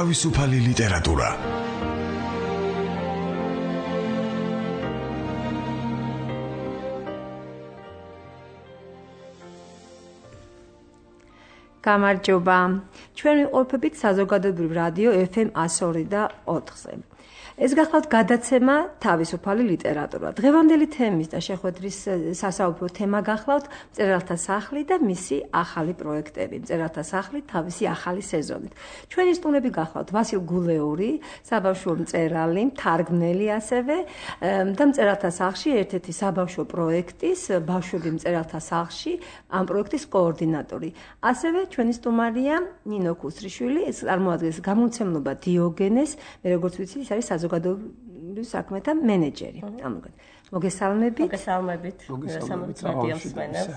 თავისუფალი ლიტერატურა. გამარჯობა. ჩვენ ვიყოფებით საზოგადოებრივ რადიო FM 102.4-ზე. ეს გახლავთ გადაცემა თავისუფალი ლიტერატურა. დღევანდელი თემის და შეხვედრის სასაუბრო თემა გახლავთ მწერალთა სახლი და მისი ახალი პროექტები. მწერალთა სახლი თავისი ახალი სეზონით. ჩვენი სტუმრები გახლავთ ვასილ გულეური, საბავშვო მწერალი, მთარგმნელი ასევე და მწერალთა სახლში ერთ-ერთი საბავშვო პროექტის ბავშვები მწერალთა სახლში ამ პროექტის კოორდინატორი. ასევე ჩვენი სტუმარია ნინო ქუსრიშვილი, ეს წარმოადგენს გამომცემლობა დიოგენეს, მე როგორც ვიცი, ის არის საზოგადოებრივ საქმეთა მენეჯერი. მოგესალმებით. მოგესალმებით. რადიოს მსმენელს.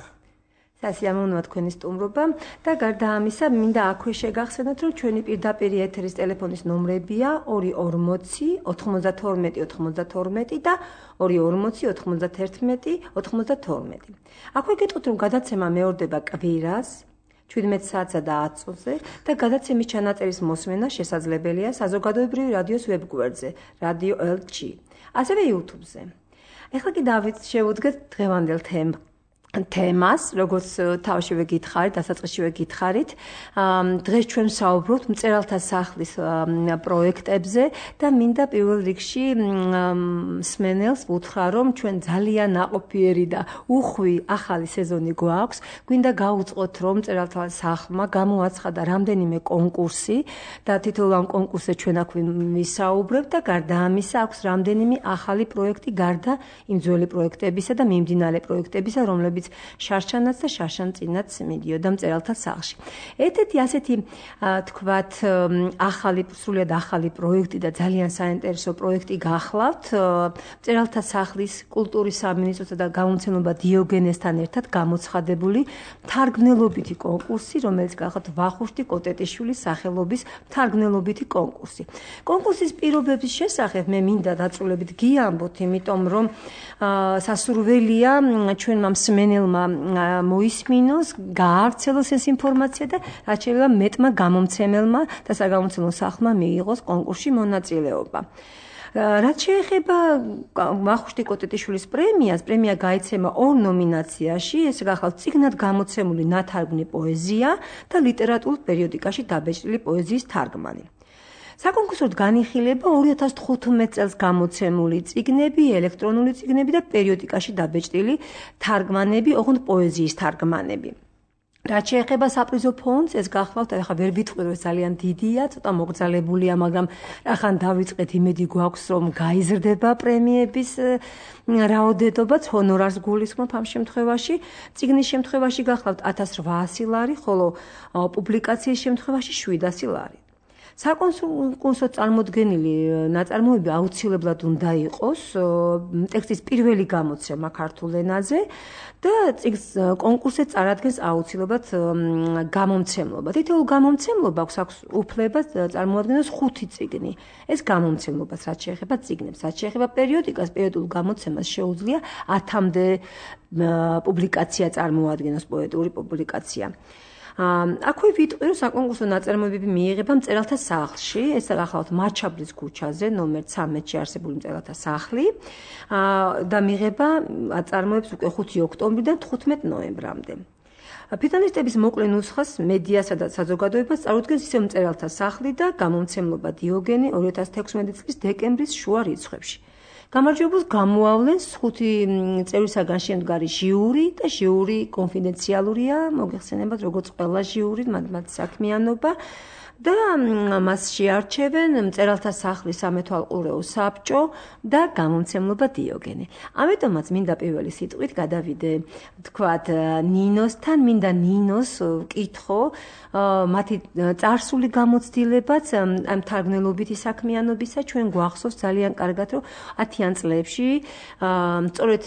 სასიამოვნოა თქვენი სტუმრობა და გარდა ამისა, მინდა აქვე შეგახსენოთ, რომ ჩვენი პირდაპირ ეთერის ტელეფონის ნომრებია 240 92 92 და 240 91 92. აქვე გეტყვით, რომ გადაცემა მეორდება კვირას 17 საათსა და 10 წუთზე და გადაცემის ჩანაწერის მოსმენა შესაძლებელია საზოგადოებრივი რადიოს ვებგვერდზე Radio LG, ასევე YouTube-ზე. ეხლა კი შევუდგეთ დღევანდელ თემას, როგორც თავშივე გითხარით, დასაწყისშივე გითხარით. დღეს ჩვენ საუბრობთ მწერალთა სახლის პროექტებზე და მინდა პირველ რიგში მსმენელს ვუთხრა, რომ ჩვენ ძალიან ნაყოფიერი და უხვი ახალი სეზონი გვაქვს. გვინდა გავუწყოთ, რომ მწერალთა სახლმა გამოაცხადა რამდენიმე კონკურსი და თითოეულ ამ კონკურსზე ჩვენ აქ ვისაუბრებთ და გარდა ამისა აქვს რამდენიმე ახალი პროექტი გარდა იმ ძველი პროექტებისა და მიმდინარე პროექტებისა, რომლებიც შარშანაც და შარშანწინაც მიდიოდა მწერალთა სახლში. ერთ-ერთი ასეთი თქვათ სრულიად ახალი პროექტი და ძალიან საინტერესო პროექტი გახლავთ მწერალთა სახლის კულტურის სამინისტროსა და გამომცემლობა დიოგენესთან ერთად გამოცხადებული მთარგმნელობითი კონკურსი, რომელიც გახლავთ ვახუშტი კოტეტიშვილის სახელობის მთარგმნელობითი კონკურსი. კონკურსის პირობების შესახებ მე მინდა დაწვრილებით გიამბოთ, იმიტომ რომ სასურველია ჩვენმა მსმენელმა მოისმინოს, გაავრცელოს ეს ინფორმაცია და რაც შეიძლება მეტმა გამომცემელმა და საგამომცემლო სახლმა მიიღოს კონკურსში მონაწილეობა. რაც შეეხება ვახუშტი კოტეტიშვილის პრემიას, პრემია გაიცემა 2 ნომინაციაში, ეს გახლავთ წიგნად გამოცემული ნათარგმნი პოეზია და ლიტერატურულ პერიოდიკაში დაბეჭდილი პოეზიის თარგმანი. საკონკურსოდ განიხილება 2015 წელს გამოცემული წიგნები, ელექტრონული წიგნები და პერიოდიკაში დაბეჭდილი თარგმანები, ოღონდ პოეზიის თარგმანები. რაც შეეხება საპრიზო ფონდს, ეს გახლავთ, ახლა ვერ ვიტყვი, რომ ძალიან დიდია, ცოტა მოგრძალებულია, მაგრამ ახან დავიწყეთ, იმედი გვაქვს, რომ გაიზრდება პრემიების რაოდენობაც, ჰონორარს გულისხმობ ამ შემთხვევაში. წიგნის შემთხვევაში გახლავთ 1800 ლარი, ხოლო პუბლიკაციის შემთხვევაში 700 ლარი. საკონკურსო წარმოდგენილი ნაწარმოები აუცილებლად უნდა იყოს ტექსტის პირველი გამოცემა ქართულ ენაზე და კონკურსზე წარადგენს აუცილებლად გამომცემლობა. თითოეულ გამომცემლობას აქვს უფლება წარმოადგენოს 5 წიგნი. ეს გამომცემლობას რაც შეეხება წიგნებს, რაც შეეხება პერიოდიკას, პერიოდულ გამოცემას შეუძლია 10-მდე პუბლიკაცია წარმოადგენოს, პოეტური პუბლიკაცია. აქვე ვიტყვი, რომ საკონკურსო ნაწარმოებები მიიღება მწერალთა სახლში, ეს გახლავთ მარჩაბლის ქუჩაზე, ნომერ 13-ში არსებული მწერალთა სახლი და მიიღება აწარმოებს უკვე 5 ოქტომბრიდან 15 ნოემბრამდე. ფინალისტების მოკლე ნუსხას მედიასა და საზოგადოებას წარუდგენს ისევ მწერალთა სახლი და გამომცემლობა დიოგენი 2016 წლის დეკემბრის შუა რიცხვებში. გამარჯვებულს გამოავლენს 5 წევრისაგან შემდგარი ჟიური და ჟიური კონფიდენციალურია, მოგეხსენებათ, როგორც ყველა ჟიური, მათ საქმიანობა და მას შეარჩევენ მწერალთა სახლის სამეთვალყურეო საბჭო და გამომცემლობა დიოგენი. ამიტომაც მინდა პირველი სიტყვით გადავიდე, თქვათ, ნინოსთან, მინდა ნინოს ვკითხო მათი წარსული გამოცდილებაც ამ თარგმნელობითი საქმიანობისა. ჩვენ გვახსოვს ძალიან კარგად, რომ 10-იან წლებში სწორედ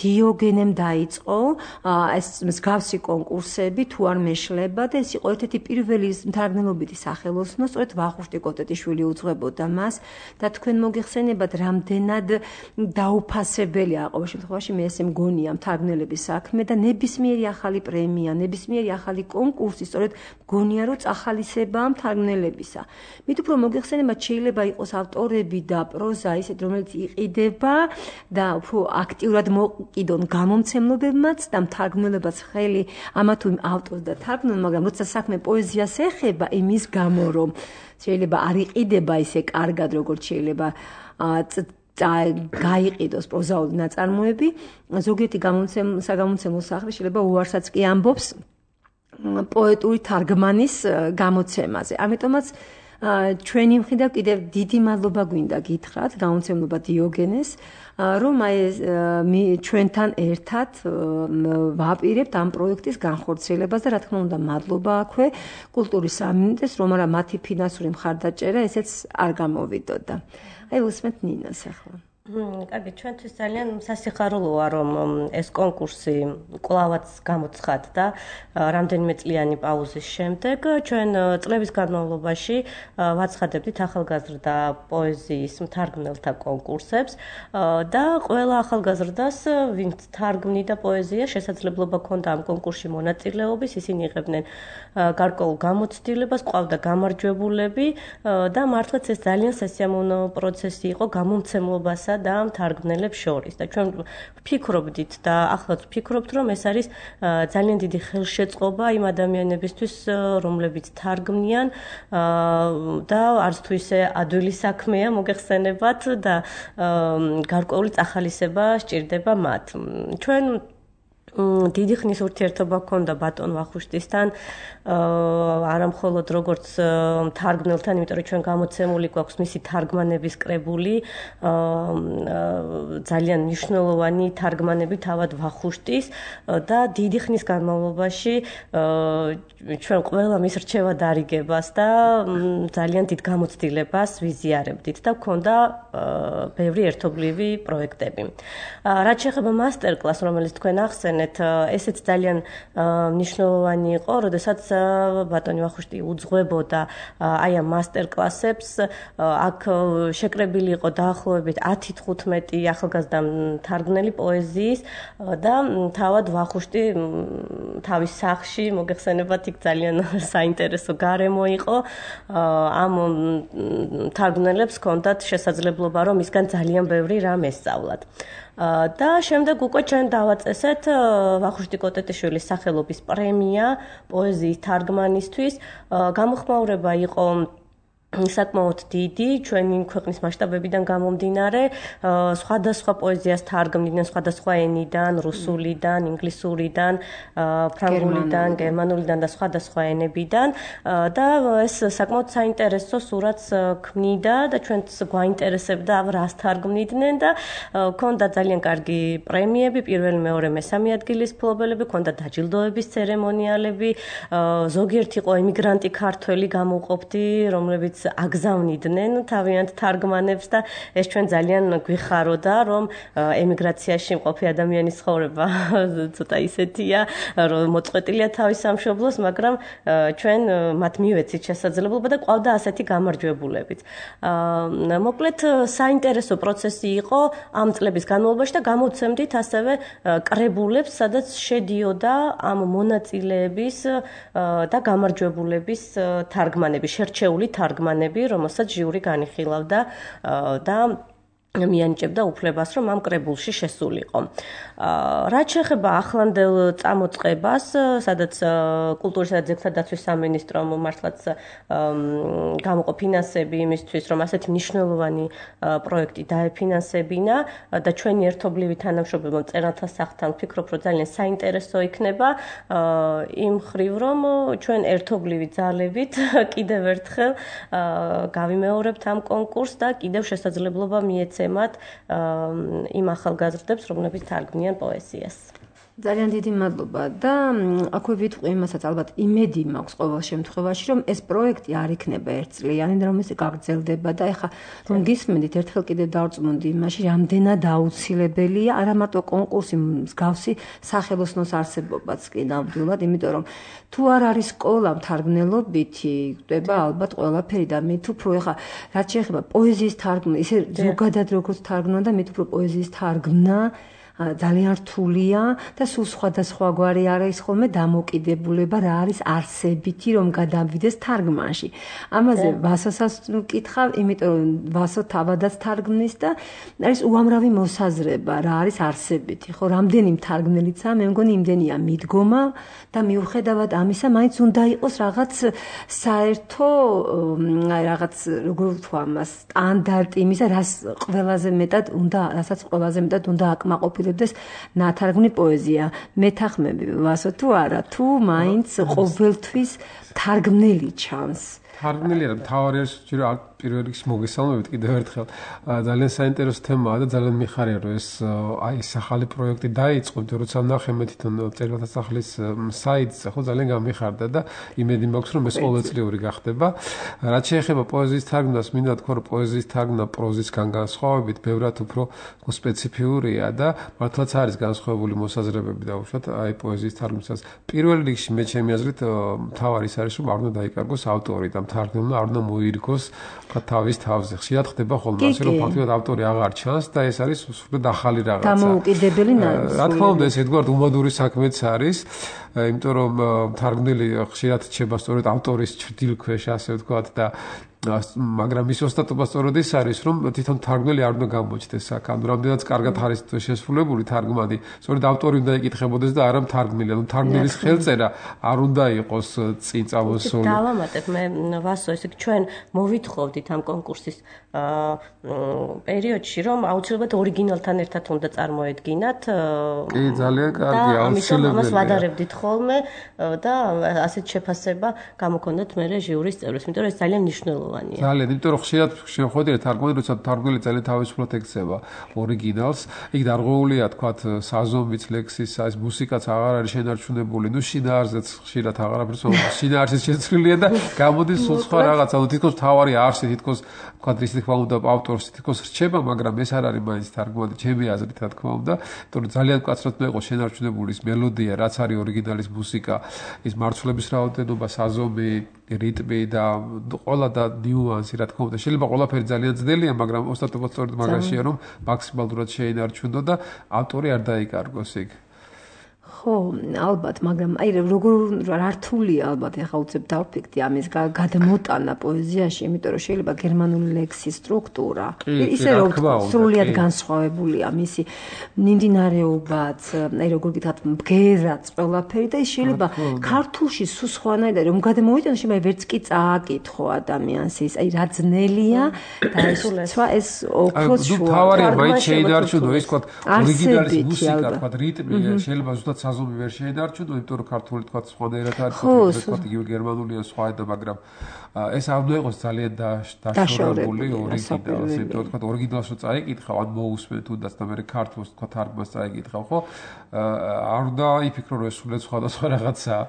დიოგენემ დაიწყო ეს მსგავსი კონკურსები, თუ არ მეშლება და ეს იყო ერთ-ერთი პირველი თარგმნელობითი სახელოსნო, სწორედ ვახუშტი კოტეტიშვილი უძღვებოდა მას და თქვენ მოგეხსენებათ, რამდენად დაუფასებელია ყოველ შემთხვევაში მე ესე მგონია მთარგმნელების საქმე და ნებისმიერი ახალი პრემია, ნებისმიერი ახალი კონკურსი სწორედ მგონია რომ წახალისებაა მთარგმნელებისა. მით უფრო მოგეხსენებათ, შეიძლება იყოს ავტორები და პროზა ისეთ, რომელიც იყიდება და უფრო აქტიურად მოკიდონ გამომცემლებებმაც და მთარგმნელებაც ხელი ამა თუ იმ ავტორს და თარგმნელს, მაგრამ როცა საქმე პოეზიას ეხება, იმის გამო რომ შეიძლება არ იყიდება ისე კარგად, როგორც შეიძლება გაიყიდოს პროზაული ნაწარმოები, ზოგიერთი საგამომცემლო სახლი შეიძლება უარსაც კი ამბობს პოეტური თარგმანის გამოცემაზე. ამიტომაც ჩვენი მხრიდან კიდევ დიდი მადლობა გვინდა გითხრათ გამომცემლობა დიოგენეს, რომ ჩვენთან ერთად ვაპირებთ ამ პროექტის განხორციელებას და რა თქმა უნდა მადლობა აქვე კულტურის სამინისტროს, რომ არა მათი ფინანსური მხარდაჭერა ესეც არ გამოვიდოდა. აი უსმენთ ნინას ახლა. კარგი, ჩვენთვის ძალიან სასიხარულოა, რომ ეს კონკურსი კვლავაც გამოცხადდა და რამდენიმე წლიანი პაუზის შემდეგ ჩვენ წლების განმავლობაში ვაცხადებდით ახალგაზრდა პოეზიის მთარგმნელთა კონკურსებს და ყველა ახალგაზრდას, ვინც თარგმნიდა პოეზია, შესაძლებლობა ჰქონდა ამ კონკურსში მონაწილეობის, ისინი იღებდნენ გარკვეულ გამოცდილებას, ყავდა გამარჯვებულები და მართლაც ეს ძალიან სასიამოვნო პროცესი იყო გამომცემლობასა და მთარგმნელებს შორის და ჩვენ ვფიქრობდით და ახლაც ვფიქრობთ, რომ ეს არის ძალიან დიდი ხელშეწყობა იმ ადამიანებისთვის, რომლებიც თარგმნიან და არც თუ ისე ადვილი საქმეა მოგეხსენებათ და გარკვეული წახალისება სჭირდება მათ. ჩვენ დიდი ხნის ურთიერთობა ჰქონდა ბატონ ვახუშტისთან, არა მხოლოდ როგორც თარგმნელთან, იმიტომ რომ ჩვენ გამოცემული გვაქვს მისი თარგმანების კრებული, ძალიან მნიშვნელოვანი თარგმანები თავად ვახუშტის და დიდი ხნის განმავლობაში ჩვენ ყველა მის რჩევა დარიგებას და ძალიან დიდ გამოცდილებას ვიზიარებდით და გვქონდა ბევრი ერთობლივი პროექტები. რაც შეეხება მასტერკლასს, რომელიც თქვენ ახსენეთ, ესეც ძალიან მნიშვნელოვანი იყო, როდესაც ბატონი ვახუშტი უძღვებოდა აი ამ მასტერკლასებს. აქ შეკრებილი იყო დაახლოებით 10-15 ახალგაზრდა მთარგმნელი პოეზიის და თავად ვახუშტი თავის სახლში მოგეხსენებათ, იქ ძალიან საინტერესო გარემო იყო. ამ მთარგმნელებს ჰქონდათ შესაძლებლობა, რომ მისგან ძალიან ბევრი რამ ესწავლათ. და შემდეგ უკვე ჩვენ დავაწესეთ ვახუშტი კოტეტიშვილის სახელობის პრემია პოეზიის თარგმანისთვის. გამოხმაურება იყო საკმაოდ დიდი, ჩვენი ქვეყნის მასშტაბებიდან გამომდინარე, სხვადასხვა პოეზიას თარგმნიდნენ სხვადასხვა ენიდან, რუსულიდან, ინგლისურიდან, ფრანგულიდან, გერმანულიდან და სხვადასხვა ენებიდან და ეს საკმაოდ საინტერესო სურათს ქმნიდა და ჩვენც გვაინტერესებდა რას თარგმნიდნენ და ჰქონდა ძალიან კარგი პრემიები, პირველი, მეორე, მესამე ადგილის მფლობელები, ჰქონდა დაჯილდოების ცერემონიალები, ზოგიერთი იყო ემიგრანტი ქართველი გამოვყოფდი, რომლებიც აგზავნიდნენ თავიანთ თარგმანებს და ეს ჩვენ ძალიან გვიხაროდა, რომ ემიგრაციაში მყოფი ადამიანის ცხოვრება ცოტა ისეთია, რომ მოწყვეტილია თავის სამშობლოს, მაგრამ ჩვენ მათ მივეცით შესაძლებლობა და ყავდა ასეთი გამარჯვებულებიც. მოკლედ საინტერესო პროცესი იყო ამ წლების განმავლობაში და გამოვცემდით ასევე კრებულებს, სადაც შედიოდა ამ მონაწილეების და გამარჯვებულების თარგმანები, შერჩეული თარგმანები, რომელსაც ჟიური განიხილავდა და მიანიჭებდა უფლებას, რომ ამ კრებულში შესულიყო. რაც შეეხება ახლანდელ წამოწყებას, სადაც კულტურისა და ძეგლთა დაცვის სამინისტრომ მართლაც გამოყო ფინანსები იმისთვის, რომ ასეთი მნიშვნელოვანი პროექტი დაეფინანსებინა და ჩვენი ერთობლივი თანამშრომლობა მწერალთა სახლთან ვფიქრობ, რომ ძალიან საინტერესო იქნება იმ ხრივ, რომ ჩვენ ერთობლივი ძალებით კიდევ ერთხელ გავიმეორებთ ამ კონკურსს და კიდევ შესაძლებლობა მიეცემათ იმ ახალგაზრდებს, რომლებიც თარგმნიან პოეზიას. ძალიან დიდი მადლობა და აქვე ვიტყვი იმასაც ალბათ იმედი მაქვს ყოველ შემთხვევაში რომ ეს პროექტი არ იქნება ერთწლიანი და რომ ეს გაგრძელდება და ეხლა რომ გისმენთ ერთხელ კიდევ დავწმუნდი იმაში რამდენად აუცილებელია არა მარტო კონკურსი მსგავსი სახელოსნოს არსებობაც კი ნამდვილად იმიტომ რომ თუ არ არის სკოლა მთარგმნელობითი გვდება ალბათ ყველაფერი და მით უფრო ეხლა რაც შეეხება პოეზიის თარგმნა ისე ზოგადად როგორც თარგმნა და მით უფრო პოეზიის თარგმნა ძალიან რთულია და სულ სხვადასხვაგვარი არის ხოლმე დამოკიდებულება რა არის არსებითი რომ გადავიდეს თარგმანში. ამაზე ვასოსაც ვკითხავ, იმიტომ რომ ვასო თავადაც თარგმნის და არის უამრავი მოსაზრება რა არის არსებითი. ხო, რამდენი მთარგმნელიცაა, მე მგონი იმდენია მიდგომა და მიუხედავად ამისა, მაინც უნდა იყოს რაღაც საერთო რაღაც როგორ ვთქვა ამას, სტანდარტი იმისა, რასაც ყველაზე მეტად უნდა აკმაყოფილდეს ნათარგმნი პოეზია. მეთანხმები ვასო თუ არა, თუ მაინც ყოველთვის თარგმნელი ჩანს. თარგმნელი არა, მთავარი არის ჯერ პირველ რიგში მოგესალმებით კიდევ ერთხელ. ძალიან საინტერესო თემაა და ძალიან მიხარია რომ ეს ახალი პროექტი დაიწყო, იმიტომ რომ როცა ვნახე მე თვითონ წერილთა სახლის საიტზე, ხო ძალიან გამიხარდა და იმედი მაქვს რომ ეს ყოველწლიური გახდება. რაც შეეხება პოეზიის თარგმნას, მინდა თქვა რომ პოეზიის თარგმნა პროზისგან განსხვავებით ბევრად უფრო სპეციფიურია და მართლაც არის განსხვავებული მოსაზრებები და უშუალოდ აი პოეზიის თარგმნისას. პირველ რიგში მე ჩემი აზრით მთავარი ის არის რომ არ უნდა დაიკარგოს ავტორი და მთარგმნელმა არ უნდა მოირგოს თავის თავზე. ხშირად ხდება ხოლმე ასე რომ ფაქტობრივად ავტორი აღარ ჩანს და ეს არის სრულად ახალი რაღაცა. დამოუკიდებელი ნაწილი. რა თქმა უნდა ეს ერთგვარად უმადური საქმეც არის, იმიტომ რომ მთარგმნელი ხშირად რჩება სწორედ ავტორის ჭრდილ ქვეშ ასე ვთქვათ და მაგრამ ის ოსტატობა სწორედ ის არის რომ თვითონ თარგმნელი არ უნდა გამოჩნდეს აქ. ანუ რამდენიც კარგად არის შესრულებული თარგმანი, სწორედ ავტორი უნდა იკითხებოდეს და არა მთარგმნელი. ანუ თარგმნელის ხელწერა არ უნდა იყოს წინ წამოსული. დავამატებ მე ვასო, ესე ჩვენ მოვითხოვდით ამ კონკურსის პერიოდში რომ აუცილებლად ორიგინალთან ერთად უნდა წარმოედგინათ. კი, ძალიან კარგი, აუცილებელია. ამას ვადარებდით ხოლმე და ასეთ შეფასება გამოქონდათ მე ჟიურის წევრებს, იმიტომ რომ ეს ძალიან მნიშვნელოვანია. ძალიან, იმიტომ რომ ხშირად შეხვედრია თარგმანი, როცა თარგმნელი ძალიან თავისუფლად ექცევა ორიგინალს, იქ დარღვეულია თქვათ საზომიც, ლექსის, ეს მუსიკაც აღარ არის შენარჩუნებული, ნუ შინაარსიც ხშირად აღარაფერს შინაარსიც შეცვლილია და გამოდის სულ სხვა რაღაცა, ანუ თითქოს თავარი არსი, თითქოს თქვათ რის თქმა უნდა ავტორს თითქოს რჩება, მაგრამ ეს არ არის მაინც თარგმანი, ჩემი აზრით რა თქმა უნდა, იმიტომ რომ ძალიან მკაცრად უნდა იყოს შენარჩუნებული ის მელოდია, რაც არის ორიგინალის მუსიკა, ის მარცვლების რაოდენობა, საზომი, რიტმი და ყველა და ნიუანსი რა თქმა უნდა შეიძლება ყველაფერი ძალიან ძნელია მაგრამ ოსტატობა სწორედ მაგაშია რომ მაქსიმალურად შეინარჩუნო და ავტორი არ დაიკარგოს იქ ხო, ალბათ, მაგრამ აი როგორ რთულია ალბათ ეხლა უცებ დავფიქრდი ამის გადმოტანა პოეზიაში, იმიტომ რომ შეიძლება გერმანული ლექსის სტრუქტურა ისე რომ სრულიად განსხვავებულია მისი მიმდინარეობაც, აი როგორ გითხრათ, მგერაც ყველაფერი და ის შეიძლება ქართულში სულ სხვანაირად რომ გადმოიტანოს, შეიძლება ვერც კი წააკითხო ადამიანს ის, აი რა ძნელია და ეს ოქროს შუა. თავარია მაინც შეინარჩუნო ის თქვა ორიგინალის მუსიკა, თქვა რიტმი, შეიძლება ზუსტად საზომი ვერ შეინარჩუნო, იმიტომ რომ ქართული თქვა სხვანაირად არის, თქვა იგივე გერმანულია სხვაერად, მაგრამ ეს არ უნდა იყოს ძალიან დაშორებული ორიგინალს, იმიტომ რომ თქვა ორიგინალს რო წაიკითხავ, ან მოусმენ თუნდაც და მე ქართულს თქვა თარგმანს წაიკითხავ, ხო? არ უნდა იფიქრო რომ ეს სულაც სხვადასხვა რაღაცაა.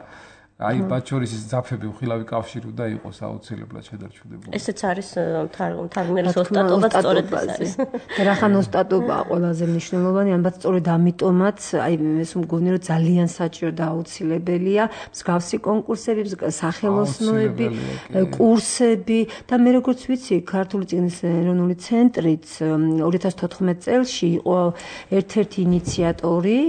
აი ბაჩორის ის ძაფები უხილავი კავშირი უნდა იყოს აუცილებლად შედარჩუნებული. ესეც არის თარგმნელის ოსტატობაც სწორედ ეს არის. და რახან ოსტატობაა ყველაზე მნიშვნელოვანი, ალბათ სწორედ ამიტომაც აი ეს მგონი რომ ძალიან საჭირო და აუცილებელია მსგავსი კონკურსები, სახელოსნოები, კურსები და მე როგორც ვიცი, ქართული წიგნის ეროვნული ცენტრიც 2014 წელს იყო ერთ-ერთი ინიციატორი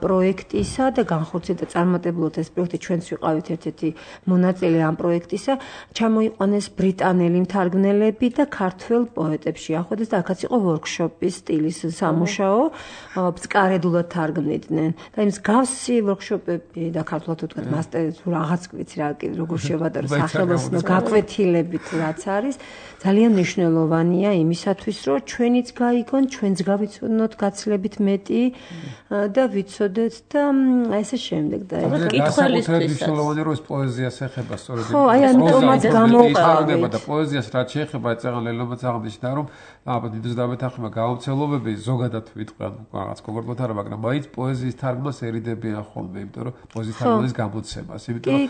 პროექტისა და განხორციელდა წარმატებულად ეს პროექტი ჩვენც ვიყავით ერთ-ერთი მონაწილე ამ პროექტისა, ჩამოიყვანეს ბრიტანელი მთარგმნელები და ქართველ პოეტებს შეახვედეს და აქაც იყო ვორქშოპის სტილის სამუშაო, ბწკარედულად თარგმნიდნენ. და იმ მსგავსი ვორქშოპები და ქართულად ვთქვათ მასტერი თუ რაღაც ვიცი რა როგორ შევადარო სახელოსნო გაკვეთილებით რაც არის, ძალიან მნიშვნელოვანია იმისათვის, რომ ჩვენიც გაიგონ, ჩვენც გავიცნოთ გაცილებით მეტი და ვიცოდეთ და ესე შემდეგ და მკითხველისთვისაც. მნიშვნელოვანია რომ ეს პოეზიას ეხება სწორედ. ხო, აი ამიტომაც გამოვყავდა და პოეზიას რაც შეეხება წეგან ლელობაც აღნიშნა რომ დიდოს დამეთახმა გავრცელობები ზოგადად ვიტყვი ან რაღაც კონკრეტულად არა, მაგრამ მაინც პოეზიის თარგმნას ერიდებიან ხოლმე, იმიტომ რომ პოეზიის თარგმნის გამოცემას, იმიტომ რომ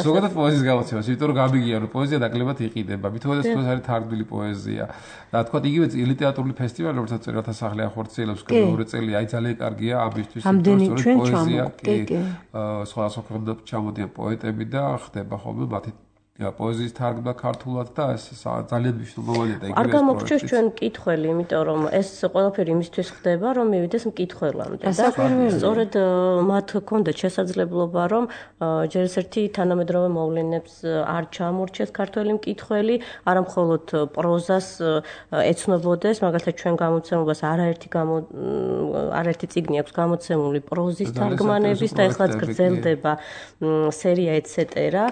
ზოგადად პოეზიის გამოცემას, იმიტომ რომ გამიგია რომ პოეზია ნაკლებად იყიდება, მithomაც ეს არის თარგმნილი პოეზია. და თქვა იგივე ლიტერატურული ფესტივალი, რომელსაც წერალთა სახლი ახორციელებს მეორე წელი, აი ძალიან კარგია ამისთვის, ამდენი ჩვენ პოეზია, სხვადასხვა ქვეყნიდან ჩამოდიან პოეტები და ხდება ხოლმე მათი პოეზიის თარგმნა ქართულად და ეს ძალიან მნიშვნელოვანია და იგივე არ გამოგჩეს ჩვენ მკითხველი, იმიტომ რომ ეს ყველაფერი იმისთვის ხდება, რომ მივიდეს მკითხველამდე და სწორედ მათ ჰქონდათ შესაძლებლობა, რომ ჯერ ერთი თანამედროვე მოვლენებს არ ჩამორჩეს ქართველი მკითხველი, არა მხოლოდ პროზას ეცნობოდეს, მაგალითად ჩვენ გამოცემულობას არაერთი წიგნი აქვს გამოცემული პროზის თარგმანების და ეხლაც გრძელდება სერია ეტსეტერა.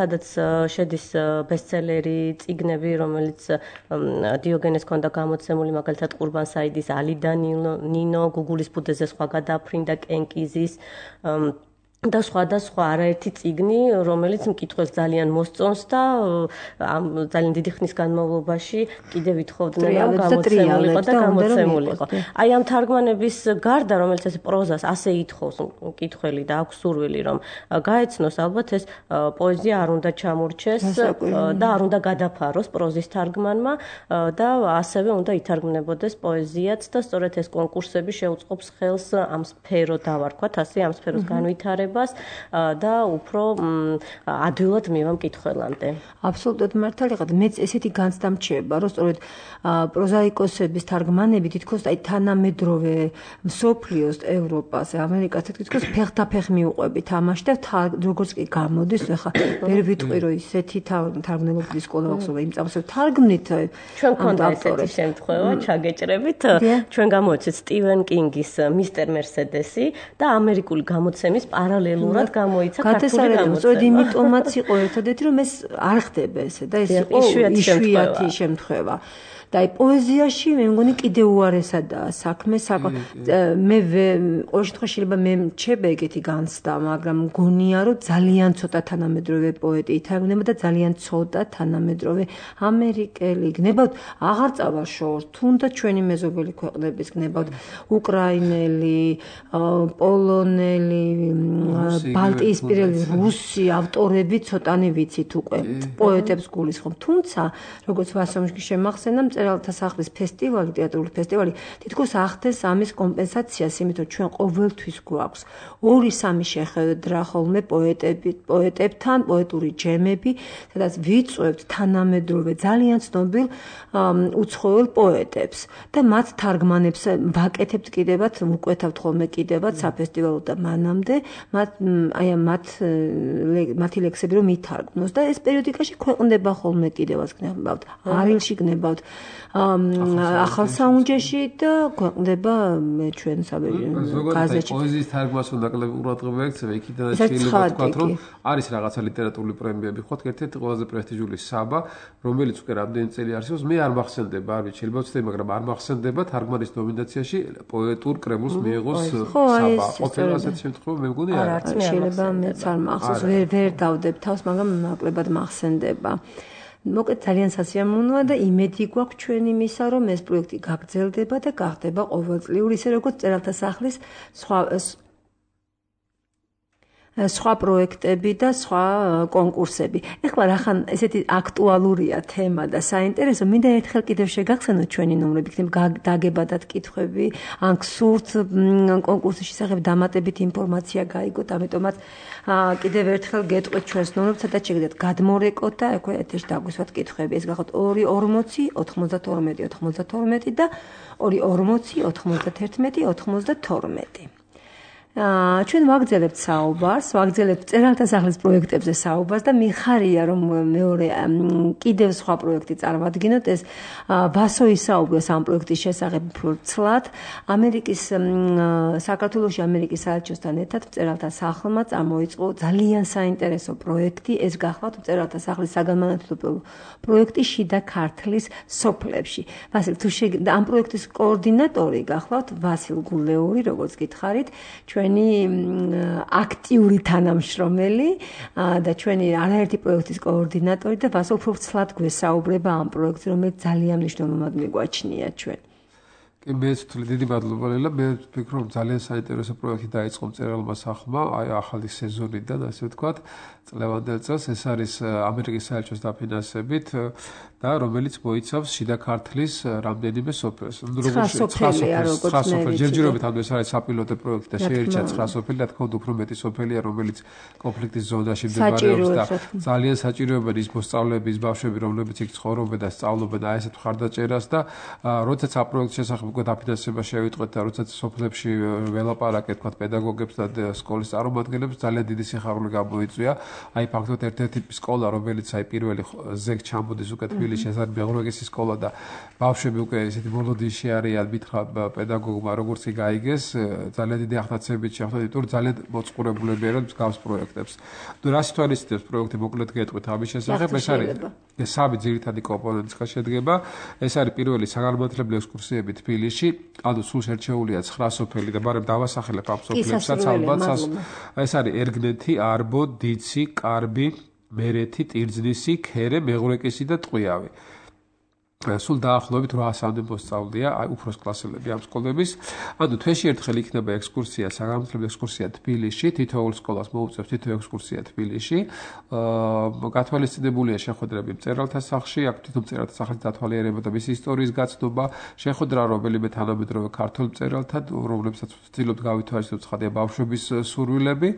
სადაც შედის ბესტსელერი წიგნები, რომელიც დიოგენეს ჰქონდა გამოცემული, მაგალითად ყურბან საიდის ალი და ნინო, გუგულის ბუდეზე სხვა გადაფრინდა კენკიზის და სხვა არაერთი წიგნი, რომელიც მკითხველს ძალიან მოსწონს და ძალიან დიდი ხნის განმავლობაში კიდევ ვითხოვდნენ, რომ გამოცემულიყო და გამოცემულიყო. აი ამ თარგმანების გარდა, რომელიც ეს პროზას ასე ითხოვს მკითხველი და აქვს სურვილი, რომ გაეცნოს, ალბათ ეს პოეზია არ უნდა ჩამორჩეს და არ უნდა გადაფაროს პროზის თარგმანმა და ასევე უნდა ითარგმნებოდეს პოეზიაც და სწორედ ეს კონკურსები შეუწყობს ხელს ამ სფერო დავარქვათ, ასე ამ სფეროს განვითარებას და უფრო ადვილად მივა მკითხველამდე. აბსოლუტურად მართალი ხართ. მეც ესეთი განცდა მრჩება, რომ სწორედ პროზაიკოსების თარგმანები თითქოს აი თანამედროვე მსოფლიოს, ევროპას, ამერიკას თითქოს ფეხდაფეხ მიუყვებით ამაში და როგორც კი გამოდის, ახლა ვერ ვიტყვი რომ ისეთი თარგმნელობის სკოლა აქვს, რომ იმ წამსვე თარგმნით ჩვენ გქონდა ესეთი შემთხვევა, ჩაგეჭრებით, ჩვენ გამოვიცეთ სტივენ კინგის მისტერ მერსედესი და ამერიკული გამოცემის პარალელურად გამოიცა ქართული გამოცემა. სწორედ იმიტომაც იყო ერთადერთი რომ ეს არ ხდება ესე და ეს იყო იშვიათი შემთხვევა. და აი პოეზიაში მე მგონი კიდე უარესადაა საქმე, მე ყოველ შემთხვევაში შეიძლება მე მრჩება ეგეთი განცდა, მაგრამ მგონია რომ ძალიან ცოტა თანამედროვე პოეტი ითარგმნება და ძალიან ცოტა თანამედროვე ამერიკელი გნებავთ აღარ წავა შორს, თუნდაც ჩვენი მეზობელი ქვეყნების გნებავთ, უკრაინელი, პოლონელი, ბალტიისპირელი, რუსი ავტორები ცოტანი ვიცით უკვე პოეტებს გულისხმობ, თუმცა როგორც ვასომში შემახსენდა წერალთა სახლის ფესტივალი, თეატრალური ფესტივალი თითქოს ახდენს ამის კომპენსაციას, იმიტომ რომ ჩვენ ყოველთვის გვაქვს 2-3 შეხვედრა ხოლმე პოეტებთან, პოეტური ჯემები, სადაც ვიწვევთ თანამედროვე ძალიან ცნობილ უცხოელ პოეტებს და მათ თარგმანებს ვაკეთებთ კიდევაც, ვუკვეთავთ ხოლმე კიდევაც საფესტივალო და მანამდე მათი ლექსები რომ ითარგმნოს და ეს პერიოდიკაში ქვეყნდება ხოლმე კიდევაც გნებავთ, არილში გნებავთ, ახალ საუნჯეში და ქვეყნდება ჩვენ გაზეთში. პოეზიის თარგმნას უნდა ნაკლები ყურადღება ექცევა, იქიდან შეიძლება ვთქვათ, რომ არის რაღაცა ლიტერატურული პრემიები, ხო, ერთ-ერთი ყველაზე პრესტიჟული საბა, რომელიც უკვე რამდენი წელი არსებობს, მე არ მახსენდება, არ ვიცი, შეიძლება ვცდები, მაგრამ არ მახსენდება თარგმანის ნომინაციაში პოეტურ კრებულს მიიღოს საბა. ყოფილი ასეთი შემთხვევა მე მგონი არ არის. შეიძლება მეც არ მახსოვს, ვერ დავდებ თავს, მაგრამ ნაკლებად მახსენდება. მოკლედ ძალიან სასიამოვნოა და იმედი გვაქვს ჩვენ იმისა, რომ ეს პროექტი გაგრძელდება და გახდება ყოველწლიური, ისე როგორც წერალთა სახლის სხვა პროექტები და სხვა კონკურსები. ეხლა რახან ესეთი აქტუალურია თემა და საინტერესო, მინდა ერთხელ კიდევ შეგახსენოთ ჩვენი ნომრები, იქნება დაგებადათ კითხვები, ან გსურთ კონკურსის შესახებ დამატებით ინფორმაცია გაიგოთ, ამიტომაც კიდევ ერთხელ გეტყვით ჩვენს ნომრებს, სადაც შეგიძლიათ გადმორეკოთ და აქვე ეთერში დაგვისვათ კითხვები. ეს გახოთ 240 92 92 და 240 91 92. ჩვენ ვაგრძელებთ საუბარს, ვაგრძელებთ წერალთა სახლის პროექტებზე საუბარს და მიხარია რომ მეორე კიდევ სხვა პროექტი წარმოვადგინოთ. ეს ვასო ისაუბრეს ამ პროექტის შესახებ ფურცლად. საქართველოში ამერიკის საელჩოსთან ერთად წერალთა სახლმა წარმოიწყო ძალიან საინტერესო პროექტი. ეს გახლავთ წერალთა სახლის საგანმანათლებლო პროექტი შიდა ქართლის სოფლებში. ვასილ, თუ ამ პროექტის კოორდინატორი გახლავთ ვასილ გულეური, როგორც გითხარით, ჩვენი აქტიური თანამშრომელი და ჩვენი არაერთი პროექტის კოორდინატორი და ვასილ ფრუხცლად გვესაუბრება ამ პროექტზე, რომელიც ძალიან მნიშვნელოვნად მიგვაჩნია ჩვენ. კი მეც ვთვლი დიდი მადლობა ლელა, მე ვფიქრობ ძალიან საინტერესო პროექტი დაიწყო მწერალმა სახლმა, აი ახალი სეზონიდან, ასე ვთქვათ, წლევანდელ წელს. ეს არის ამერიკის საელჩოს დაფინანსებით და რომელიც მოიცავს შიდა ქართლის რამდენიმე სოფელს. ჯერჯერობით ანუ ეს არის საპილოტო პროექტი და შეერჩა 9 სოფელი, რა თქმა უნდა უფრო მეტი სოფელია, რომელიც კონფლიქტის ზონაში მდებარეობს და ძალიან საჭიროებენ ის მოსწავლეები, ის ბავშვები, რომლებიც იქ ცხოვრობენ და სწავლობენ აი ესეთ მხარდაჭერას და როდესაც ამ პროექტის შესახებ უკვე დაფინანსება შევიტყვეთ და როდესაც სოფლებში ველაპარაკეთ, თქვა პედაგოგებს და სკოლის წარმომადგენლებს, ძალიან დიდი სიხარული გამოიწვია. აი ფაქტობრივად ერთ-ერთი სკოლა, რომელიც აი პირველი ზეგ ჩამოდის უკვე თბილისში, ეს არის მეღრუეგესის სკოლა და ბავშვები უკვე ესეთი მოლოდინში არიან, მითხრა პედაგოგმა როგორც კი გაიგეს, ძალიან დიდი ახდაცებით შეხვდა, იმიტომ რომ ძალიან მოწყურებულები არიან მსგავს პროექტებს. ნუ რას თვალისწინებს პროექტი, მოკლედ გეტყვით ამის შესახებ, ეს არის სამი ძირითადი კომპონენტისგან შედგება. ეს არის პირველი საგანმანათლებლო ექსკურსიები თბილისში, ანუ სულ შერჩეულია 9 სოფელი და მაგრამ დავასახელებ ამ სოფლებსაც ალბათ. ეს არის ერგნეთი, არბო, დიცი, კარბი, მერეთი, ტირძნისი, ქერე, მეღრუეკისი და ტყვიავი. სულ დაახლოებით 800-მდე მოსწავლეა, აი უფროს კლასელები ამ სკოლების. ანუ თვეში ერთხელ იქნება ექსკურსია, საგანმანათლებლო ექსკურსია თბილისში, თითოეულ სკოლას მოუწევს თითო ექსკურსია თბილისში. გათვალისწინებულია შეხვედრები მწერალთა სახლში, აქ თვითონ მწერალთა სახლის დათვალიერება და მისი ისტორიის გაცნობა, შეხვედრა რომელიმე თანამედროვე ქართულ მწერალთან, რომლებსაც ვცდილობთ გავითვალისწინოთ ცხადია ბავშვების სურვილები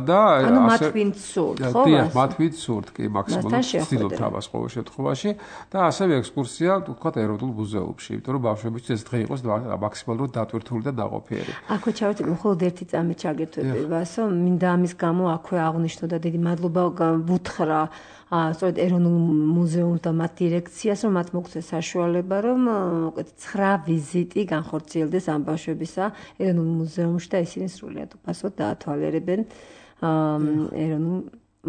და ანუ მათ ვინც სურთ, ხო? დიახ, მათ ვინც სურთ, კი, მაქსიმალურად ვცდილობთ ამას ყოველ შემთხვევაში და ასევე ექსკურსია, თქვათ, ეროვნულ მუზეუმში, იმიტომ რომ ბავშვებისთვის ეს დღე იყოს მაქსიმალურად დატვირთული და ნაყოფიერი. აქვე ჩავერთები მხოლოდ ერთი წამით ჩაგერთვები, ვასო, მინდა ამის გამო აქვე აღნიშნო და დიდი მადლობა ვუთხრა სწორედ ეროვნულ მუზეუმს და მათ დირექციას, რომ მათ მოგცეს საშუალება, რომ უკეთ 9 ვიზიტი განხორციელდეს ამ ბავშვებისა ეროვნულ მუზეუმში და ისინი სრულიად უფასოდ დაათვალიერებენ ეროვნულ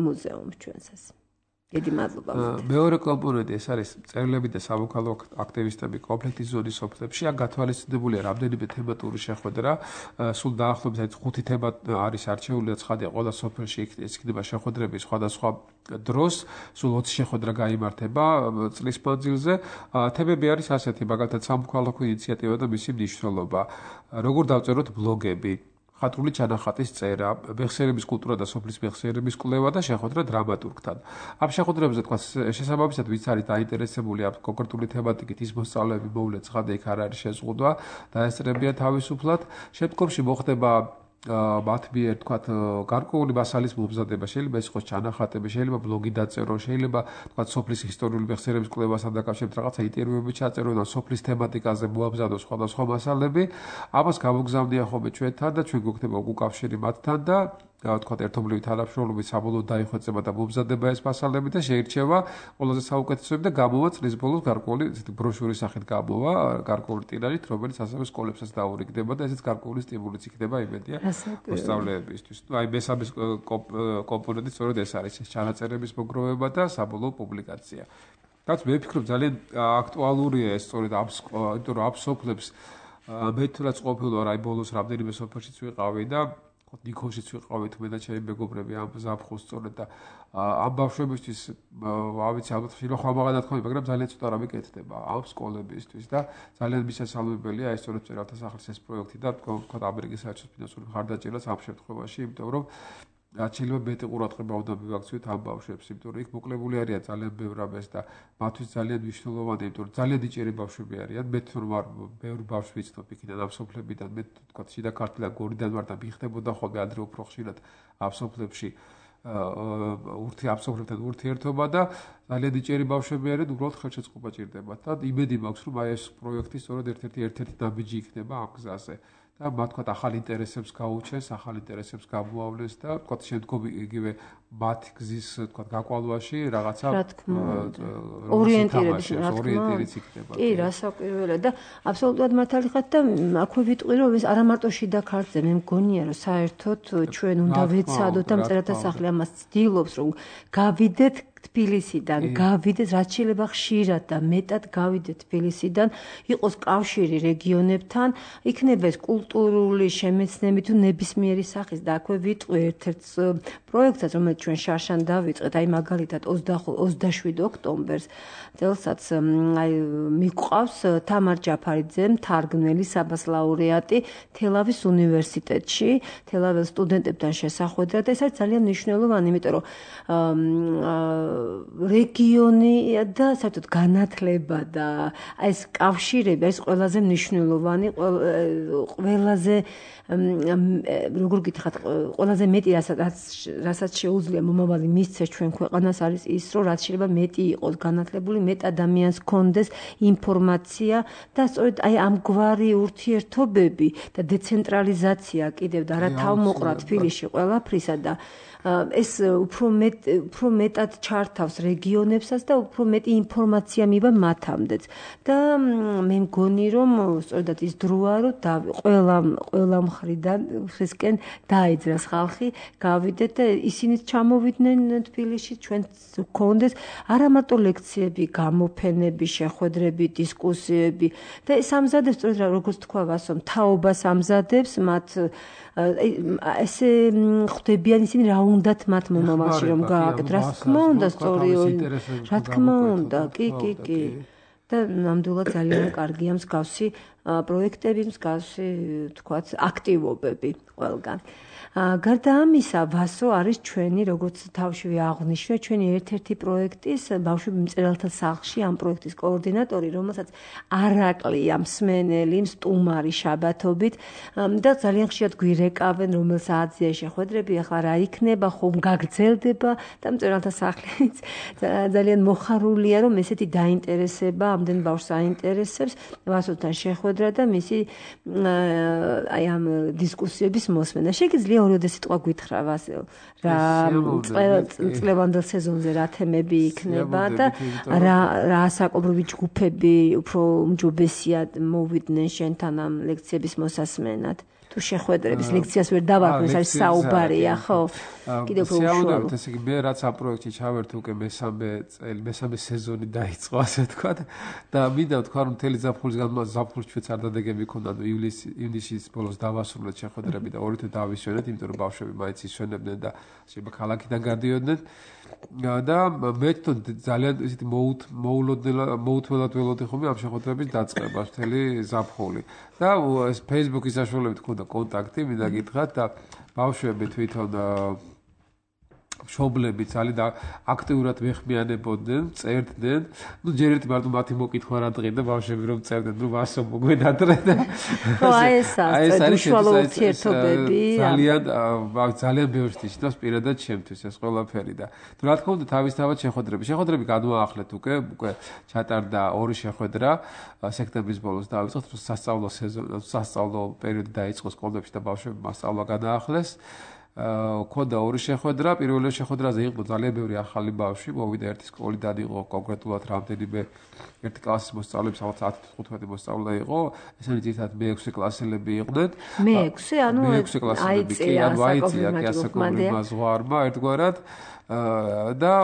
მუზეუმს ჩვენსას. დიდი მადლობა. მეორე კომპონენტი ეს არის მწერლები და სამოქალაქო აქტივისტები კონფლიქტის ზონის სოფლებში. აქ გათვალისწინებულია რამდენიმე თემატური შეხვედრა. სულ დაახლოებით 5 თემა არის არჩეული და ცხადია ყველა სოფელში იქნება შეხვედრები სხვადასხვა დროს. სულ 20 შეხვედრა გაიმართება წლის მანძილზე. თემები არის ასეთი, მაგალითად სამოქალაქო ინიციატივა და მისი მნიშვნელობა. როგორ დავწეროთ ბლოგები, ხატრული ჩანახატის წერა, მეხსიერების კულტურა და სოფლის მეხსიერების კვლევა და შეხვედრა დრამატურგთან. ამ შეხვედრებზე თქვა შესაბამისად ვინც არის დაინტერესებული ამ კონკრეტული თემატიკით, ის მოსწავლეები მოვლენ ცხადია იქ არ არის შეზღუდვა, დაესწრებიან თავისუფლად. შემდგომში მოხდება მათ მიერ თქვათ გარკვეული მასალის მომზადება, შეიძლება ეს იყოს ჩანახატები, შეიძლება ბლოგი დაწერო, შეიძლება თქვათ სოფლის ისტორიული მეხსიერების კვლევასთან დაკავშირებით რაღაცა ინტერვიუები ჩაწერო და სოფლის თემატიკაზე მოაბზადო სხვადასხვა მასალები. ამას გამოგზავნია ხოლმე ჩვენთან და ჩვენ გვექნება უკავშირი მათთან და თქვათ ერთობლივი თანამშრომლობით საბოლოოდ დაიხვეწება და მომზადება ეს მასალები და შეირჩევა ყველაზე საუკეთესოები და გამოვა წლის ბოლოს გარკვეული ბროშურის სახით გამოვა, გარკვეული ტირაჟით, რომელიც ასევე სკოლებსაც დაურიგდება და ესეც გარკვეული სტიმულიც იქნება იმედია მოსწავლეებისთვის. აი მესამე კომპონენტი სწორედ ეს არის, ეს ჩანაწერების მოგროვება და საბოლოო პუბლიკაცია. რაც მე ვფიქრობ ძალიან აქტუალურია ეს სწორედ იმიტომ რომ ამ სოფლებს მე თუნდაც ყოფილი ვარ აი ბოლოს რამდენიმე სოფელშიც ვიყავი და ნიქოშიც ვიყავით მე და ჩემი მეგობრები ამ ზაფხულს სწორედ და ამ ბავშვებისთვის ავიცი ალბათ შეიძლება ხმამაღლა თქვი, მაგრამ ძალიან ცოტა რამე კეთდება ამ სკოლებისთვის და ძალიან მისასალმებელია ეს სწორედ მწერალთა სახლის ეს პროექტი და თქვა ამერიკის საერთაშორისო ფინანსური მხარდაჭერაც ამ შემთხვევაში, იმიტომ რომ რაც შეიძლება მეტი ყურადღება უნდა მივაქციოთ ამ ბავშვებს, იმიტომ რომ იქ მოკლებული არიან ძალიან ბევრ რამეს და მათთვის ძალიან მნიშვნელოვანია, იმიტომ რომ ძალიან დიჭერი ბავშვები არიან. მე თვითონ ვარ ბევრი ბავშვი ვიცნობ იქიდან ამ სოფლებიდან, მე თქვა შიდა ქართლიდან გორიდან ვარ და მიხდებოდა ხოლმე ადრე უფრო ხშირად ამ სოფლებში ამ სოფლებთან ურთიერთობა და ძალიან დიჭერი ბავშვები არიან, უბრალოდ ხელშეწყობა ჭირდებათ და იმედი მაქვს, რომ აი ეს პროექტი სწორედ ერთ-ერთი ნაბიჯი იქნება ამ გზაზე. და მათ თქვა ახალ ინტერესებს გაუჩენს, ახალ ინტერესებს გამოავლენს და თქვა შემდგომ იგივე მათ გზის თქვა გაკვალვაში რაღაცა ორიენტირების იქნება. კი, რასაკვირველია და აბსოლუტურად მართალი ხართ და აქვე ვიტყვი რომ ეს არა მარტო შიდა ქართლზე, მე მგონია რომ საერთოდ ჩვენ უნდა ვეცადოთ და მწერალთა სახლი ამას ცდილობს რომ გავიდეთ თბილისიდან გავიდეთ, რაც შეიძლება ხშირად და მეტად გავიდეთ თბილისიდან, იყოს კავშირი რეგიონებთან, იქნება ეს კულტურული შემეცნები თუ ნებისმიერი სახის და აქვე ვიტყვი ერთ-ერთ პროექტსაც, რომელიც ჩვენ შარშან დავიწყეთ, აი მაგალითად 27 ოქტომბერს წელსაც მიყვავს თამარ ჯაფარიძე, მთარგმნელი საბას-ლაურეატი თელავის უნივერსიტეტში, თელავის სტუდენტებთან შესახვედრად. ეს არის ძალიან მნიშვნელოვანი, იმიტომ რომ რეგიონი და საერთოდ განათლება და ეს კავშირები არის ყველაზე მნიშვნელოვანი, ყველაზე როგორ გითხრათ, ყველაზე მეტი რასაც შეუძლია მომავალი მისცეს ჩვენ ქვეყანას არის ის, რომ რაც შეიძლება მეტი იყოს განათლებული, მეტ ადამიანს ჰქონდეს ინფორმაცია და სწორედ აი ამგვარი ურთიერთობები და დეცენტრალიზაცია კიდევ და რა თავმოყრა თბილისში ყველაფრისა და ეს უფრო მეტად ჩართავს რეგიონებსაც და უფრო მეტი ინფორმაცია მივა მათამდეც და მე მგონი რომ სწორედ ის დროა რომ ყველა მხრისკენ დაიძრას ხალხი გავიდეთ და ისინიც ჩამოვიდნენ თბილისში ჩვენც გქონდეს არა მარტო ლექციები, გამოფენები, შეხვედრები, დისკუსიები და ეს ამზადებს სწორედ როგორც თქვა ვასო თაობას ამზადებს მათ ესე ხვდებიან ისინი რა უნდათ მათ მომავალში რომ გააკეთოთ რა თქმა უნდა სწორია რა თქმა უნდა კი და ნამდვილად ძალიან კარგია მსგავსი პროექტები მსგავსი თქვათ აქტივობები ყველგან გარდა ამისა ვასო არის ჩვენი როგორც თავშივე აღვნიშნე ჩვენი ერთ-ერთი პროექტის ბავშვები მწერალთა სახლში ამ პროექტის კოორდინატორი რომელსაც არაკლია მსმენელი სტუმარი შაბათობით და ძალიან ხშირად გვირეკავენ რომელ საათზეა შეხვედრები ახლა რა იქნება ხომ გაგრძელდება და მწერალთა სახლიც ძალიან მოხარულია რომ ესეთი დაინტერესება ამდენ ბავშვს აინტერესებს ვასოთან შეხვედრა და მისი აი ამ დისკუსიების მოსმენა შეგიძლია ორიოდე სიტყვა გითხრა ვასილ რა წლევანდელ სეზონზე რა თემები იქნება და რა საკომრობი ჯგუფები უფრო უმჯობესია მოვიდნენ შენთან ამ ლექციების მოსასმენად თუ შეხვედრების ლექციას ვერ დავარქვი ეს არის საუბარია ხო კიდევ უფრო უშუალოდ ესე იგი მე რაც ამ პროექტში ჩავერთე უკვე მესამე სეზონი დაიწყო ასე თქვა და მინდა ვთქვა რომ მთელი ზაფხულს ჩვენც არ დადეგები ქონდა ივნისის ბოლოს დავასრულეთ შეხვედრები და ორით დავისვენეთ იმიტომ რომ ბავშვები მაინც ისვენებდნენ და შეიძლება ქალაქიდან გადიოდნენ და მე ძალიან ისეთი მოუთველად ველოდი ხომ ამ შეხვედრების დაწყებას მთელი ზაფხული და ეს Facebook-ის საშუალებით ქონდა კონტაქტი მინდა გითხრათ და ბავშვები თვითონ მშობლები ძალიან აქტიურად მეხმიანებოდნენ, წერდნენ. ნუ ჯერ ერთი მარტო მათი მოკითხვა რა დღედა ბავშვები რომ წერდნენ, ნუ ვასო მოგვედადრე და ეს არის უშუალო ურთიერთობები. ძალიან ბევრს ნიშნავს პირადად ჩემთვის ეს ყველაფერი და თუ რა თქმა უნდა თავისთავად შეხვედრები გადმოახლეთ უკვე ჩატარდა ორი შეხვედრა სექტემბრის ბოლოს დავიწყოთ სასწავლო პერიოდი დაიწყო სკოლებში და ბავშვები მასწავლა გადაახლეს. ქონდა ორი შეხვედრა, პირველი შეხვედრაზე იყო ძალიან ბევრი ახალი ბავშვი, მოვიდა ერთი სკოლიდან იყო კონკრეტულად რამდენიმე ერთი კლასის მოსწავლეები, სადაც 10-15 მოსწავლე იყო, ესენი ძირითადად მე-6 კლასელები იყვნენ. მე-6, ანუ აიცია კი ასაკობრივ ზღვარმა ერთგვარად და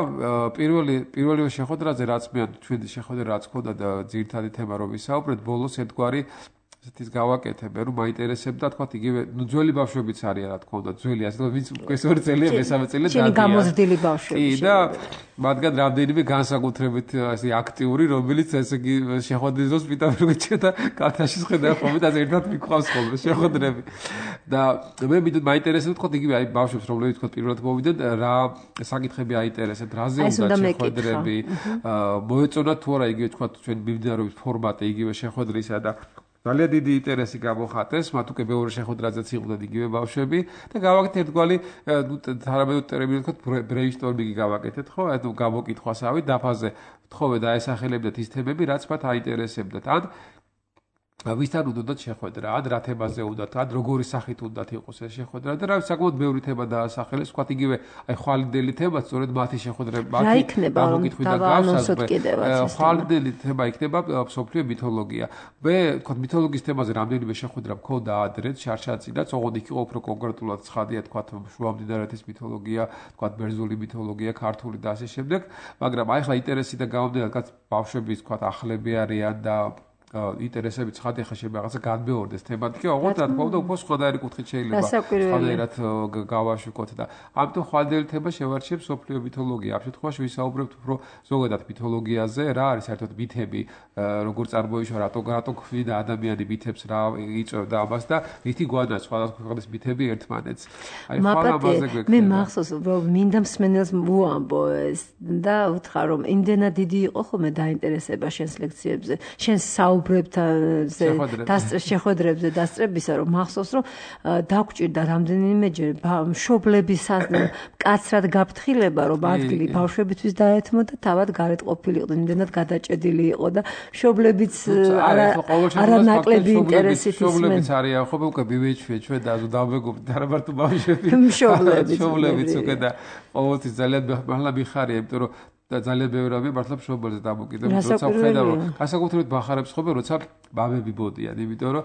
პირველი შეხვედრაზე რაც მე ჩვენი შეხვედრა რაც ქონდა და ძირითადი თემა რომ ვისაუბრეთ, ბოლოს ერთგვარი ის გავაკეთებ, რომ მაინტერესებდა, თქვა იგივე, ნუ ძველი ბავშვებიც არიან, რა თქმა უნდა, ძველი, ასე რომ ვინც ეს ორი წელია, მესამე წელია დადიან. გამოზრდილი ბავშვები. კი, და მათგან რამდენიმე განსაკუთრებით ასე აქტიური, რომელიც ესე იგი შეხვედრის დროს პიტავენ და კათაში ხედავ ხოლმე და ერთად მიყვავს ხოლმე შეხვედრები. და მე მაინტერესებდა, თქვა იგივე, აი ბავშვებს, რომლებიც თქვა პირველად მოვიდნენ, რა საკითხები აინტერესებთ, რაზე უნდა შეხვედრები, მოეწონათ თუ არა იგივე თქვა ჩვენ მიმდინარეობს ფორმატი იგივე შეხვედრისა და ძალიან დიდი ინტერესი გამოხატეს, მათ უკვე მეორე შეხვედრაზეც იყვნენ იგივე ბავშვები და გავაკეთეთ ერთგვარი თარაბედო ტერმინით ვთქვათ ბრეინსტორმინგი გავაკეთეთ, ხო? ანუ გამოკითხვასავით დაფაზე თხოვე დაესახელებდეთ ის თემები, რაც მათ აინტერესებდათ. ან ვისთან უნდათ შეხვედრა, ან რა თემაზე უნდათ, ან როგორი სახით უნდათ იყოს ეს შეხვედრა და რა საკმაოდ ბევრი თემა დაასახელეს, ვთქვათ იგივე აი ხვალინდელი თემა, სწორედ მათი შეხვედრება, მათი გამოკითხვით და გავსაზრდოთ. ხვალინდელი თემა იქნება მსოფლიო მითოლოგია. მე ვთქვათ მითოლოგიის თემაზე რამდენიმე შეხვედრა მქონდა ადრე, შარშაცინაც, ოღონდ იქ იყო უფრო კონკრეტულად ცხადია, ვთქვათ შუამდინარეთის მითოლოგია, ვთქვათ ბერძნული მითოლოგია, ქართული და ასე შემდეგ, მაგრამ აი ხა ინტერესი და გამომდინარე, რაც ბავშვების ვთქვათ ახლები არიან და ინტერესები ცხადია ხა შეიძლება რაღაცა განმეორდეს თემატიკა, ოღონდ რა თქმა უნდა უფრო სხვადასხვა კუთხით შეიძლება სხვადასხვანაირად გავაშუქოთ და ამიტომ ხვალინდელი თემა შევარჩიებს მსოფლიო მითოლოგია. ამ შემთხვევაში ვისაუბრებთ უფრო ზოგადად მითოლოგიაზე, რა არის საერთოდ მითები, როგორ წარმოიშვა, რატო ხვიდა ადამიანი მითებს, რა იწვევდა ამას და რითი გვანაც სხვადასხვა ქვეყნის მითები ერთმანეთს. აი ხვალ ამაზე გვექნება. მე მახსოვს, რომ მინდა მსმენელს მოამბო ეს და უთხრა რომ იმდენად დიდი იყო ხოლმე დაინტერესება შენს ლექციებზე, შენს შეხვედრებზე დასწრებისა, რომ მახსოვს, რომ დაგჭირდა რამდენიმეჯერ მშობლების კაცრად გაფრთხილება, რომ ადგილი ბავშვებისთვის დაეთმო და თავად გარეთ ყოფილიყო, იმდენად გადაჭედილი იყო და მშობლებიც არანაკლები ინტერესით ისმენ. მშობლებიც არიან ხო უკვე ბიბეჭვია ჩვენ და დავმეგობრდით არა მარტო ბავშვები. მშობლებიც უკვე და ყოველთვის ძალიან მართლა მიხარია, იმიტომ რომ და ძალიან ბევრი რამე მართლა მშობელზე დამოკიდებული, როცა ვხედავ, განსაკუთრებით ბახარებს ხომ, როცა ბაბები ბოდიან, იმიტომ რომ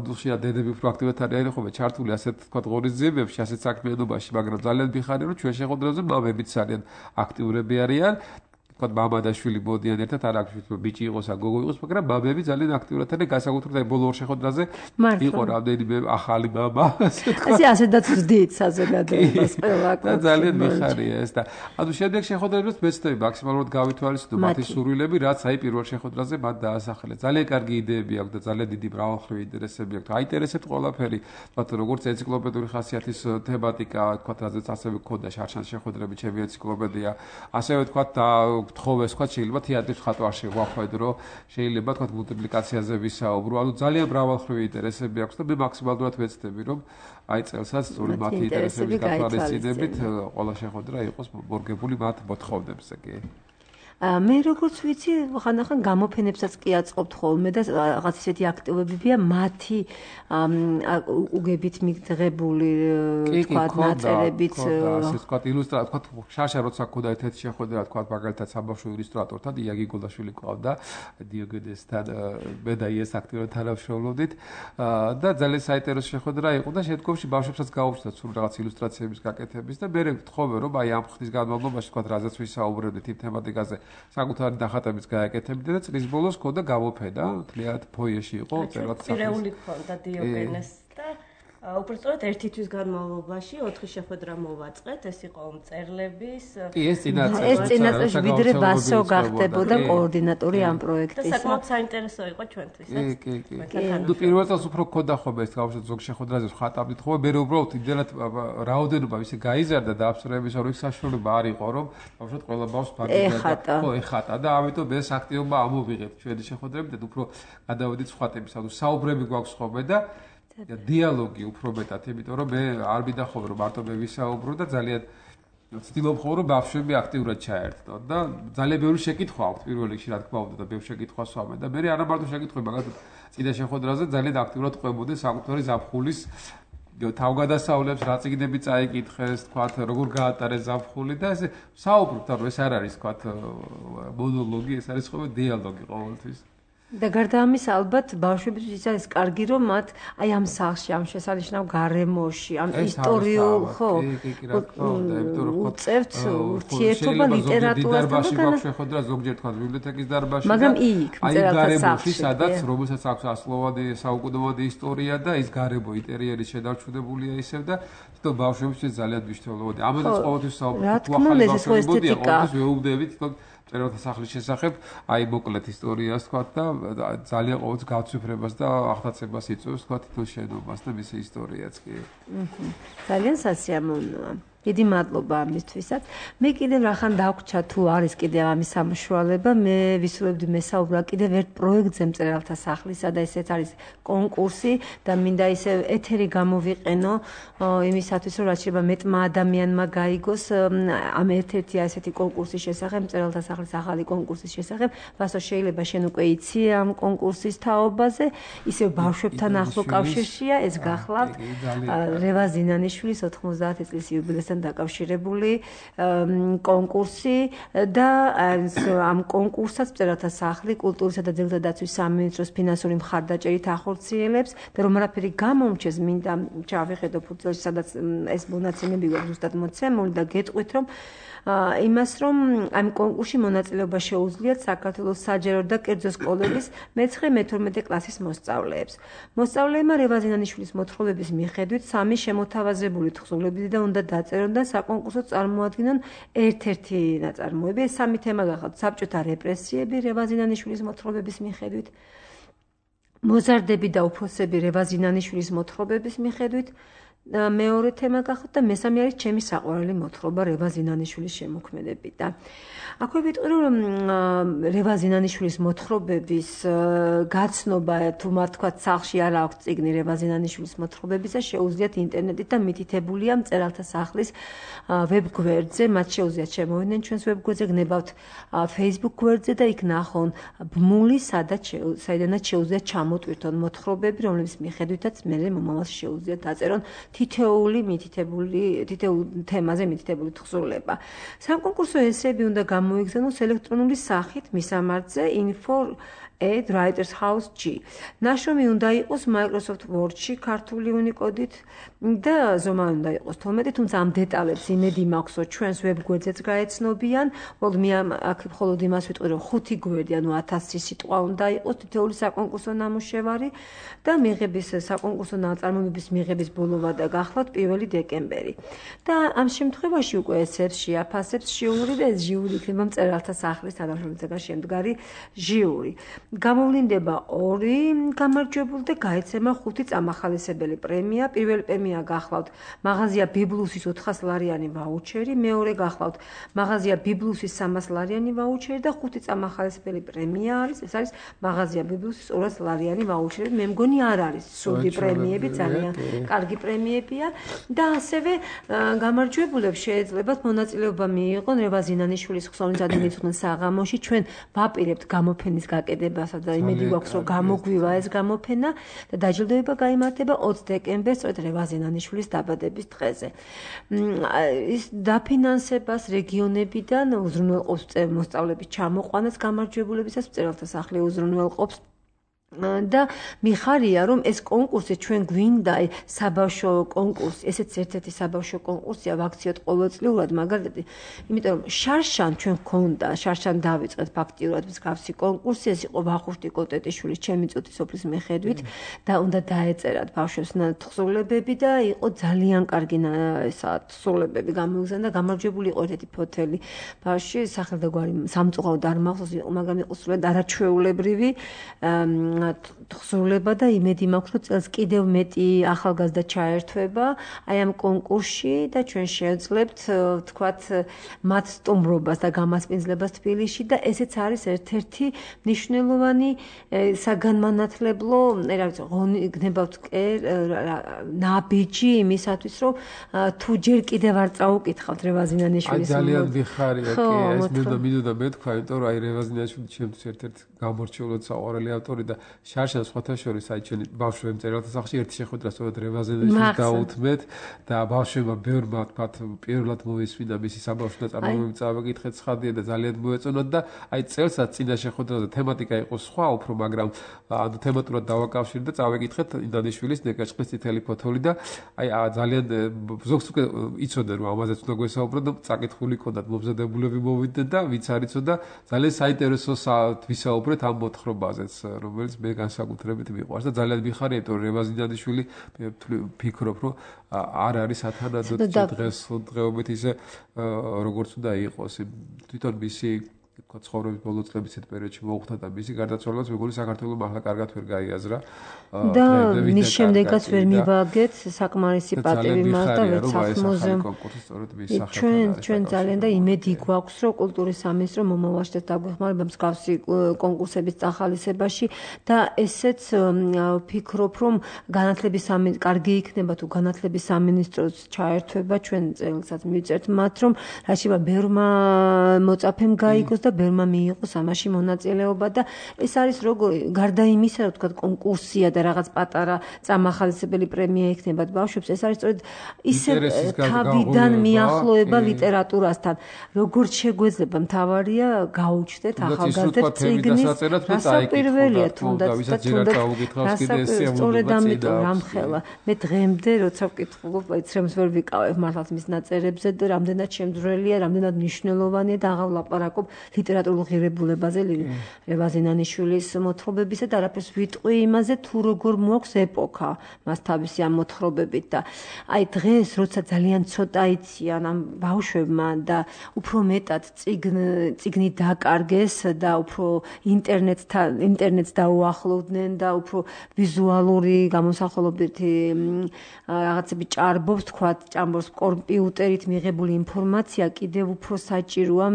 უდუხშია დედები უფრო აქტიურად არიან ხომ, ჩართული ასეთ თქვა ღონისძიებებში, ასეთ საქმიანობაში, მაგრამ ძალიან მიხარია, რომ ჩვენ შეხვედრაზე ბაბებიც ძალიან აქტიურები არიან. თქვა მამა და შვილი ბოდიან ერთად, არ აქვს ბიჭი იყოს ან გოგო იყოს, მაგრამ ბაბები ძალიან აქტიურად არიან, განსაკუთრებით ბოლო ორ შეხვედრაზე იყო რამდენიმე ახალი მამა, ასე თქვა. ასეთაც ვძდით საზოგადოებას ყველა და ძალიან მიხარია ეს და ანუ შემდეგ შეხვედრებებს მეცდები მაქსიმალურად გავითვალისწინო მათი სურვილები, რაც აი პირველ შეხვედრაზე მათ დაასახელეს. ძალიან კარგი იდეები აქვს და ძალიან დიდი მრავალმხრივი ინტერესები აქვს. აინტერესებთ ყველაფერი, თქო როგორც ენციკლოპედური ხასიათის თემატიკა, თქო რაზეც ასევე გქონდა შარშან შეხვედრები, ჩემი ენციკლოპედია, ასევე თქო თხოვეს თქვა შეიძლება თეატრის ხატვაში ვახვედრო, შეიძლება თქვა მულტიპლიკაციაზე ვისაუბრო, ანუ ძალიან მრავალმხრივი ინტერესები აქვს და მე მაქსიმალურად ვეცდები რომ აი წელსაც სწორედ მათი ინტერესების გათვალისწინებით ყველა შეხვედრა იყოს მორგებული მათ მოთხოვნებზე კი. მე როგორც ვიცი, ხანდახან გამოფენებსაც კი აწყობთ ხოლმე და რაღაც ისეთი აქტივობებია მათი უგებით მიღებული თქვა ნაწერებით ასე თქვა ილუსტრატორ თქვა შარშა როცა ქონდა ერთ-ერთი შეხვედრა თქვა მაგალითად საბავშვო ილუსტრატორთან იაგი გოლაშვილი ყავდა დიოგენესთან მე და ის აქტიურად თანამშრომლობდით და ძალიან საინტერესო შეხვედრა იყო და შემდგომში ბავშვებსაც გაუჩნდათ სულ რაღაც ილუსტრაციების გაკეთების და მე ვთხოვე რომ აი ამ ხნის განმავლობაში თქვა რაზეც ვისაუბრებდით იმ თემატიკაზე საკუთარი დახატებიც გააკეთებდი და წლის ბოლოს ქონდა გამოფენა, თლიანად ფოიეში იყო, წერად სახლის. პირეული ქონდა დიოგენეს და უბრალოდ ერთი თვის განმავლობაში 4 შეხვედრა მოვაწყეთ, ეს იყო მწერლების. კი, ეს წინაწელში ვიდრე ბასო გახდებოდა კოორდინატორი ამ პროექტის. და საკმაოდ საინტერესო იყო ჩვენთვისაც. კი. ნუ პირველ წელს უფრო გქონდა ხოლმე ეს გავშოთ ზოგ შეხვედრაზე ხატავდით ხოლმე, მე უბრალოდ იმდენად რაოდენობა ისე გაიზარდა და აბსოლუტურად რომ საშუალება არ იყო რომ გავშოთ ყველა ბავშვს ფარგლებს ხო ეხატა და ამიტომ ეს აქტივობა ამოვიღეთ ჩვენი შეხვედრებით და უფრო გადავედით სხვა თემის, ანუ საუბრები გვაქვს ხოლმე და დიალოგი უფრო მეტად, იმიტომ რომ მე არ მინდა ხოლმე რომ მარტო მე ვისაუბრო და ძალიან ვცდილობ ხოლმე რომ ბავშვები აქტიურად ჩაერთონ და ძალიან ბევრი შეკითხვა აქვს პირველ რიგში რა თქმა უნდა და ბევრი შეკითხვა სვამენ და მე არა მარტო შეკითხვები, მაგალითად წინა შეხვედრაზე ძალიან აქტიურად ყვებოდნენ საკუთარი ზაფხულის თავგადასავლებს, რა წიგნები წაიკითხეს, თქვათ როგორ გაატარეს ზაფხული და ესე საუბრობთ, რომ ეს არ არის თქვათ მონოლოგი, ეს არის ხოლმე დიალოგი ყოველთვის. და გარდა ამის ალბათ ბავშვებისთვის არის კარგი რომ მათ აი ამ სახლში, ამ შესანიშნავ გარემოში, ამ ისტორიულ ხო უწევთ ურთიერთობა ლიტერატურასთან და შეხვედრა ზოგჯერ თქვა ბიბლიოთეკის დარბაზში მაგრამ იქ მწერალთა სახლში, სადაც რომელსაც აქვს ასლოვანი საუკუნოვანი ისტორია და ის გარემო ინტერიერი შედარჩუნებულია ისევ და თვითონ ბავშვებისთვის ძალიან მნიშვნელოვანია. ამაზეც ყოველთვის საუბრობთ, თუ ახალი ბავშვები მოდიან, ყოველთვის ვეუბნებით თქო წერალთა სახლის შესახებ, აი მოკლედ ისტორიას თქვა და ძალიან ყოველთვის გავცვიფრებას და აღტაცებას იწვევს თქვა თითო შენობას და მისი ისტორიაც კი. ძალიან სასიამოვნოა. დიდი მადლობა ამისთვისაც. მე კიდევ რახან დავგვჭა თუ არის კიდევ ამის სამშუალება, მე ვისურვებდი მესაუბრა კიდევ ერთ პროექტზე მწერალთა სახლისა და ესეც არის კონკურსი და მინდა ისე ეთერი გამოვიყენო იმისათვის რომ რაც შეიძლება მეტმა ადამიანმა გაიგოს ამ ერთ-ერთი ასეთი კონკურსის შესახებ, მწერალთა სახლის ახალი კონკურსის შესახებ. ვასო შეიძლება შენ უკვე იცი ამ კონკურსის თაობაზე, ისევ ბავშვებთან ახლო კავშირშია, ეს გახლავთ რევაზ ზინანიშვილის 90 წლის იუბილესთან დაკავშირებული კონკურსი და ამ კონკურსსაც მწერალთა სახლი კულტურისა და ძეგლთა დაცვის სამინისტროს ფინანსური მხარდაჭერით ახორციელებს და რომ არაფერი გამომჩეს, მინდა ჩავიხედო ფურცელში, სადაც ეს მონაცემები გვაქვს ზუსტად მოცემული და გეტყვით რომ იმას რომ ამ კონკურსში მონაწილეობა შეუძლიათ საქართველოს საჯარო და კერძო სკოლების მე-12 კლასის მოსწავლეებს. მოსწავლეებმა რევაზ ზინანიშვილის მოთხრობების მიხედვით 3 შემოთავაზებული თხზულებები და უნდა დაწერონ და საკონკურსო წარმოადგინონ ერთ-ერთი ნაწარმოები. ეს 3 თემა გახავთ: საბჭოთა რეპრესიები რევაზ ზინანიშვილის მოთხრობების მიხედვით, მოზარდები და უფროსები რევაზ ზინანიშვილის მოთხრობების მიხედვით, მეორე თემა გახავთ და მესამე არის ჩემი საყვარელი მოთხრობა რევაზ ზინანიშვილის შემოქმედებიდან. აქვე ვიტყვი რომ რევაზ ზინანიშვილის მოთხრობების გაცნობა თუ მათ თქვათ სახლში არ აქვს წიგნი რევაზ ზინანიშვილის მოთხრობებისა, შეუძლიათ ინტერნეტით და მითითებულია მწერალთა სახლის ვებგვერდზე, მათ შეუძლიათ შემოვიდნენ ჩვენს ვებგვერდზე, გნებავთ Facebook გვერდზე და იქ ნახონ ბმული, საიდანაც შეუძლიათ ჩამოტვირთონ მოთხრობები, რომლებიც მიხედვითაც მერე მომავალში შეუძლიათ დაწერონ თითოეული თემაზე მითითებული თხზულება. საკონკურსო ესეები უნდა გამოიგზავნოს ელექტრონული სახით მისამართზე info@writershouse.g. ნაშრომი უნდა იყოს Microsoft Word-ში ქართული უნიკოდით და ზომა უნდა იყოს 12, თუმცა ამ დეტალებს იმედი მაქვს, რომ ჩვენს ვებგვერდზეც გაეცნობიან. მე აქ მხოლოდ იმას ვიტყვი, რომ 5 გვერდი, ანუ 1000 სიტყვა უნდა იყოს თითოეული საკონკურსო ნამუშევარი და მიღების საკონკურსო ნაწარმოებების მიღების ბოლოვა და გახლავთ 1 დეკემბერი. და ამ შემთხვევაში უკვე ესებს შეაფასებს ჟიური და ეს ჟიური იქნება მწერალთა სახლის თანამშრომლობისგან შემდგარი ჟიური. გამოვლინდება 2 გამარჯვებული და გაეცემა 5 წამახალისებელი პრემია. პირველი პრემია გახლავთ მაღაზია ბიბლუსის 400 ლარიანი ვაუჩერი, მეორე გახლავთ მაღაზია ბიბლუსის 300 ლარიანი ვაუჩერი და 5 წამახალისებელი პრემია არის, ეს არის მაღაზია ბიბლუსის 200 ლარიანი ვაუჩერი. მე მგონი არ არის სუდი პრემიები, ძალიან კარგი პრემიებია და ასევე გამარჯვებულებს შეეძლებათ მონაწილეობა მიიღონ რევაზ ზინანიშვილის ხსოვნის ადმინისტრაციულ საღამოში. ჩვენ ვაპირებთ გამოფენის გაკეთებასა და იმედი გვაქვს რომ გამოგვივა ეს გამოფენა და დაჯილდოება გაიმართება 20 დეკემბერს სწორედ რევაზ ზინანიშვილის დაბადების დღეზე. ის დაფინანსებას რეგიონებიდან უზრუნველყოფს მოსწავლეების ჩამოყვანას გამარჯვებულებისას, მწერალთა სახლი უზრუნველყოფს და მიხარია რომ ეს კონკურსი ჩვენ გვინდა საბავშვო კონკურსი, ესეც ერთ-ერთი საბავშვო კონკურსია, ვაქციოთ ყოველწლიურად, მაგალითად, იმიტომ რომ შარშან ჩვენ გქონდა, შარშან დავიწყეთ ფაქტიურად მსგავსი კონკურსი, ეს იყო ვახუშტი კოტეტიშვილის ჩემი წუთის სოფლის მიხედვით და უნდა დაეწერათ ბავშვებს თხზულებები და იყო ძალიან კარგი თხზულებები გამოიგზავნა და გამარჯვებული იყო ერთ-ერთი ფოთელი ბავშვი, სახელდაგვარი სამწუხაროდ არ მახსოვს, მაგრამ იყო სულად არაჩვეულებრივი თხზულება და იმედი მაქვს, რომ წელს კიდევ მეტი ახალგაზრდა ჩაერთვება აი ამ კონკურსში და ჩვენ შეეძლებთ თქვათ მათ სტუმრობას და გამასპინძლებას თბილისში და ესეც არის ერთ-ერთი მნიშვნელოვანი საგანმანათლებლო, რა ვიცი, გნებავთ ნაბიჯი იმისათვის, რომ თუ ჯერ კიდევ არ წაუკითხავთ რევაზ ზინანიშვილის ძალიან ვიხარია კი ეს მინდოდა მეთქვა, იმიტომ რომ აი რევაზ ზინანიშვილი ჩემთვის ერთ-ერთი გამორჩეულად საყვარელი ავტორი და შარშან სხვათა შორის აი ჩვენი ბავშვები მწერალთა სახლში ერთი შეხვედრა სწორედ რევაზ ზინანიშვილს დაუთმეთ და ბავშვებმა ბევრმა თქვათ პირველად მოისმინა მისი საბავშვო ნაწარმოებები წავეკითხეთ ცხადია და ძალიან მოეწონათ და აი წელსაც წინა შეხვედრაზე თემატიკა იყო სხვა უფრო, მაგრამ ანუ თემატურად დავაკავშირეთ და წავეკითხეთ ინდანიშვილის ნეკაჭყის წითელი ფოთოლი და აი ძალიან ზოგს უკვე იცოდნენ რომ ამაზეც უნდა გვესაუბროთ და წაკითხული ჰქონდათ მომზადებულები მოვიდნენ და ვინც არ იცოდა ძალიან საინტერესო ვისაუბრეთ ამ მოთხრობაზეც, რომელიც მე განსაკუთრებით მიყვარს და ძალიან მიხარია, იმიტომ რომ რევაზ ზინანიშვილი ფიქრობ, რომ არ არის ათანადოდ დღესდღეობით ისე როგორც უნდა იყოს. თვითონ მისი თქვა ცხოვრების ბოლო წლების ერთ პერიოდში მოუხდა და მისი გარდაცვალებას მეგონი საქართველოს მართლა კარგად ვერ გაიაზრა. და მის შემდეგაც ვერ მივაგეთ საკმარისი პატივი მას და ვეცახმოზე. ჩვენ ძალიან და იმედი გვაქვს, რომ კულტურის სამინისტრო მომავალში დაგვეხმარება მსგავსი კონკურსების წახალისებაში და ესეც ვფიქრობ, რომ განათლების კარგი იქნება თუ განათლების სამინისტროს ჩაერთვება ჩვენ წელსაც მივწერთ მათ, რომ რაშივა ბევრმა მოწაფემ გაიგოს და ბევრმა მიიღოს ამაში მონაწილეობა და ეს არის როგორი გარდა იმისა, რომ თქვა კონკურსია და რაღაც პატარა წამახალისებელი პრემია იქნება ბავშვებს, ეს არის სწორედ ისე თავიდან მიახლოება ლიტერატურასთან. როგორც შეგვეძლება მთავარია გაუჩნდეთ ახალგაზრდებს წიგნის რასაკვირველია თუნდაც სწორედ ამიტომ რამხელა მე დღემდე როცა ვკითხულობ ეცრემს ვერ ვიკავებ მართლაც მის ნაწერებზე და რამდენად შემძვრელია, რამდენად მნიშვნელოვანია და აღარ ვლაპარაკობ ლიტერატურულ ღირებულებაზე ლევან ზინანიშვილის მოთხრობებისა და არაფერს ვიტყვი იმაზე თუ როგორ მოაქვს ეპოქა მას თავისი ამ მოთხრობებით და აი დღეს როცა ძალიან ცოტა იციან ამ ბავშვებმა და უფრო მეტად წიგნი დაკარგეს და უფრო ინტერნეტს დაუახლოვდნენ და უფრო ვიზუალური გამოსახულობითი რაღაცები ჭარბობს ჭამბობს კომპიუტერით მიღებული ინფორმაცია კიდევ უფრო საჭიროა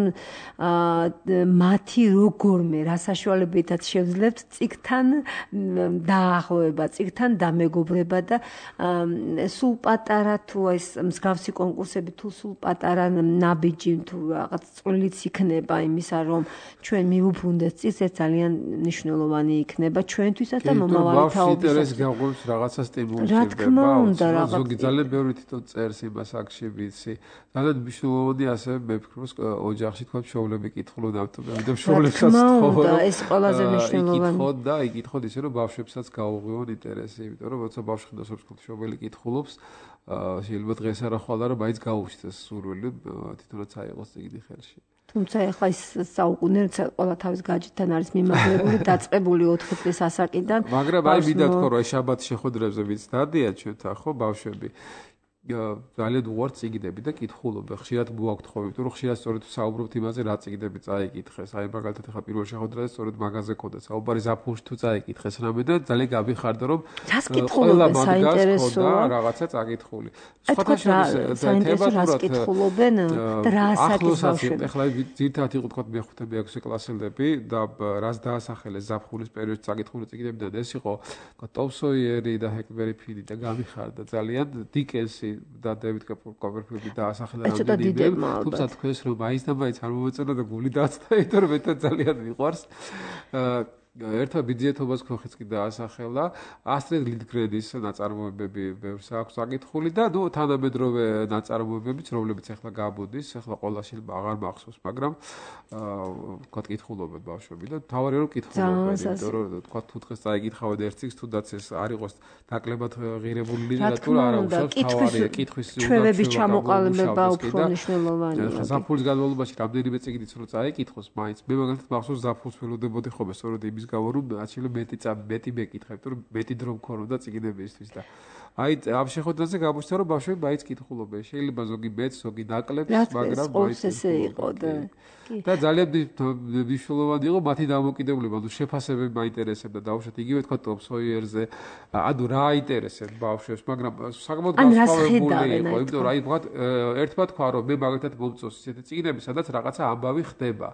მათი როგორმე რა საშუალებითაც შევძლებთ წიგნთან დაახლოება, წიგნთან დამეგობრება და სულ პატარა თუ ეს მსგავსი კონკურსები თუ სულ პატარა ნაბიჯი თუ რაღაც წვლილიც იქნება იმისა, რომ ჩვენ მივუბრუნდეთ წიგნს, ეს ძალიან მნიშვნელოვანი იქნება ჩვენთვისაც და მომავალი თაობისათვის. გაგვიყვებს რაღაცა სტიმული რა თქმა უნდა, ზოგი ძალიან ბევრი თვითონ წერს იმას აქში ვიცი. ძალიან მნიშვნელოვანი ასე მე ვფიქრობ ოჯახში თქვა მშობლები კითხულობ და მშობლებსაც თხოვო. ეს ყველაზე მნიშვნელოვანი. იკითხოთ ისე რომ ბავშვებსაც გაუღვიონ ინტერესი, იმიტომ რომ როცა ბავშვი ხდას მშობელი კითხულობს, შეიძლება დღეს არა ხვალ არა მაინც გაუჩნდეს სურვილი თვითონაც აიღოს წიგნი ხელში. თუმცა ახლა ის საუკუნე ყველა თავის გაჯეთთან არის მიმაგრებული, დაწყებული 4 წლის ასაკიდან. მაგრამ აი მინდა თქვა რომ აი შაბათ შეხვედრებზე ვიც დადიან ჩვენთან ხო ბავშვები. ძალიან უარ წიგნები და კითხულობ. ხშირად მოაქვთ ხო, იმიტომ რომ ხშირად სწორედ საუბრობთ იმაზე, რა წიგნები წაიკითხეს. აი მაგალითად ახლა პირველ შეხვედრაზე სწორედ მაგაზე ხოდა საუბარი ზაფხულში თუ წაიკითხეს რამე და ძალიან გამიხარდა რომ ყველა საინტერესოა რაღაცა წაკითხული. საინტერესო კითხულობენ და რა ასაკის ბავშვები. ახლა ძირთად იყო თქვა მე-5 მე-6 კლასელები და რას დაასახელეს ზაფხულის პერიოდში წაკითხული წიგნებიდან ეს იყო ტომ სოიერი და ჰეკლბერი ფინი და გამიხარდა ძალიან დიკენსი და დევიდ კოპერფილდი დაასახელა რამდენიმე თუმცა თქვენს რომ მაინც და მაინც არ მომეწონა და გული დააცდა იმიტომ რომ მე ძალიან მიყვარს ერთმა ბიძიეთობას ქოხიც კი დაასახელა ასტრიდ ლინდგრენის ნაწარმოებები ბევრს აქვს საკითხული და ნუ თანამედროვე ნაწარმოებებიც რომლებიც ახლა გამოდის ახლა ყველაში აღარ მახსოვს მაგრამ თქვა კითხულობენ ბავშვები და თავარია რომ კითხულობენ იმიტომ რომ თქვა თუ დღეს წაიკითხავენ ერთ წიგნს თუნდაც ეს არ იყოს ნაკლებად ღირებული ლიტერატურა არა უშავს თავარია კითხვის ჩვევების ჩამოყალიბება უფრო მნიშვნელოვანია ზაფხულის განმავლობაში რამდენიმე წიგნიც რო წაიკითხოს მაინც მე მაგალითად მახსოვს ზაფხულს ველოდებოდი ხოლმე სწორედ იმის გამო რომ შეიძლება მეტი მეკითხა, იმიტომ რომ მეტი დრო მქონოდა წიგნებისთვის და აი ამ შეხვედრაზე გამოჩნდა რომ ბავშვები მაინც კითხულობენ. შეიძლება ზოგი მეც, ზოგი ნაკლებს, მაგრამ მაინც ესე იყო და ძალიან მნიშვნელოვანი იყო მათი დამოკიდებულება, ანუ შეფასებები მაინტერესებდა დაუშვათ იგივე თქვა ტომ სოიერზე, ანუ რა აინტერესებს ბავშვებს, მაგრამ საკმაოდ განსხვავებული იყო, იმიტომ რომ აი ერთმა თქვა რომ მე მაგალითად მომწონს ისეთი წიგნები, სადაც რაღაცა ამბავი ხდება.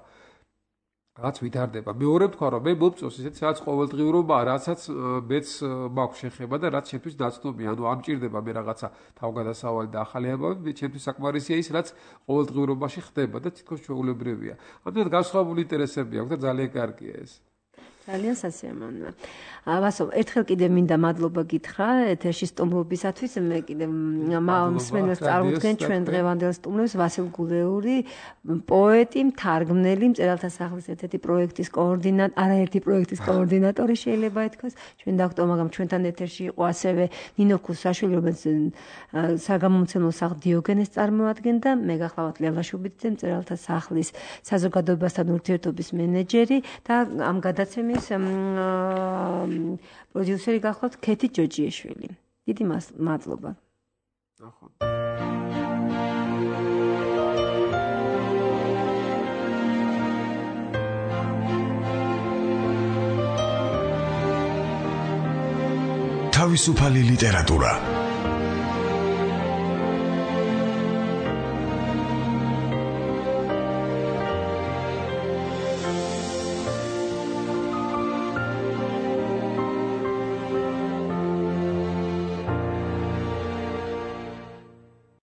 რაც ვითარდება. მეორე თქვა რომ მე მომწონს ისეთ სადაც ყოველდღიურობაა, რასაც მეც მაქვს შეხება და რაც ჩემთვის ნაცნობია. ანუ არ მჭირდება მე რაღაცა თავგადასავალი და ახალი ამბავი, ჩემთვის საკმარისია ის, რაც ყოველდღიურობაში ხდება და თითქოს ჩვეულებრივია. ამიტომ განსხვავებული ინტერესები აქვს და ძალიან კარგია ეს. ძალიან სასიამოვნოა. ვასო, ერთხელ კიდე მინდა მადლობა გითხრა ეთერში სტუმრობისათვის. მე კიდე მსმენელს წარმოვიდგენ ჩვენ დღევანდელ სტუმრებს ვასილ გულეური, პოეტი, მთარგმნელი, მწერალთა სახლის ერთ-ერთი პროექტის არაერთი პროექტის კოორდინატორი შეიძლება ითქვას. ჩვენ დავხტო, მაგრამ ჩვენთან ეთერში იყო ასევე ნინო ქუსაშვილი, რომელიც საგამომცემლო სახლ დიოგენეს წარმოადგენდა, მე გახლავთ ლელა შუბიძე, მწერალთა სახლის საზოგადოებასთან ურთიერთობის მენეჯერი და ამ გადაცემის პროდიუსერი გახლავთ ქეთი ჯოჯიეშვილი. დიდი მადლობა. თავისუფალი ლიტერატურა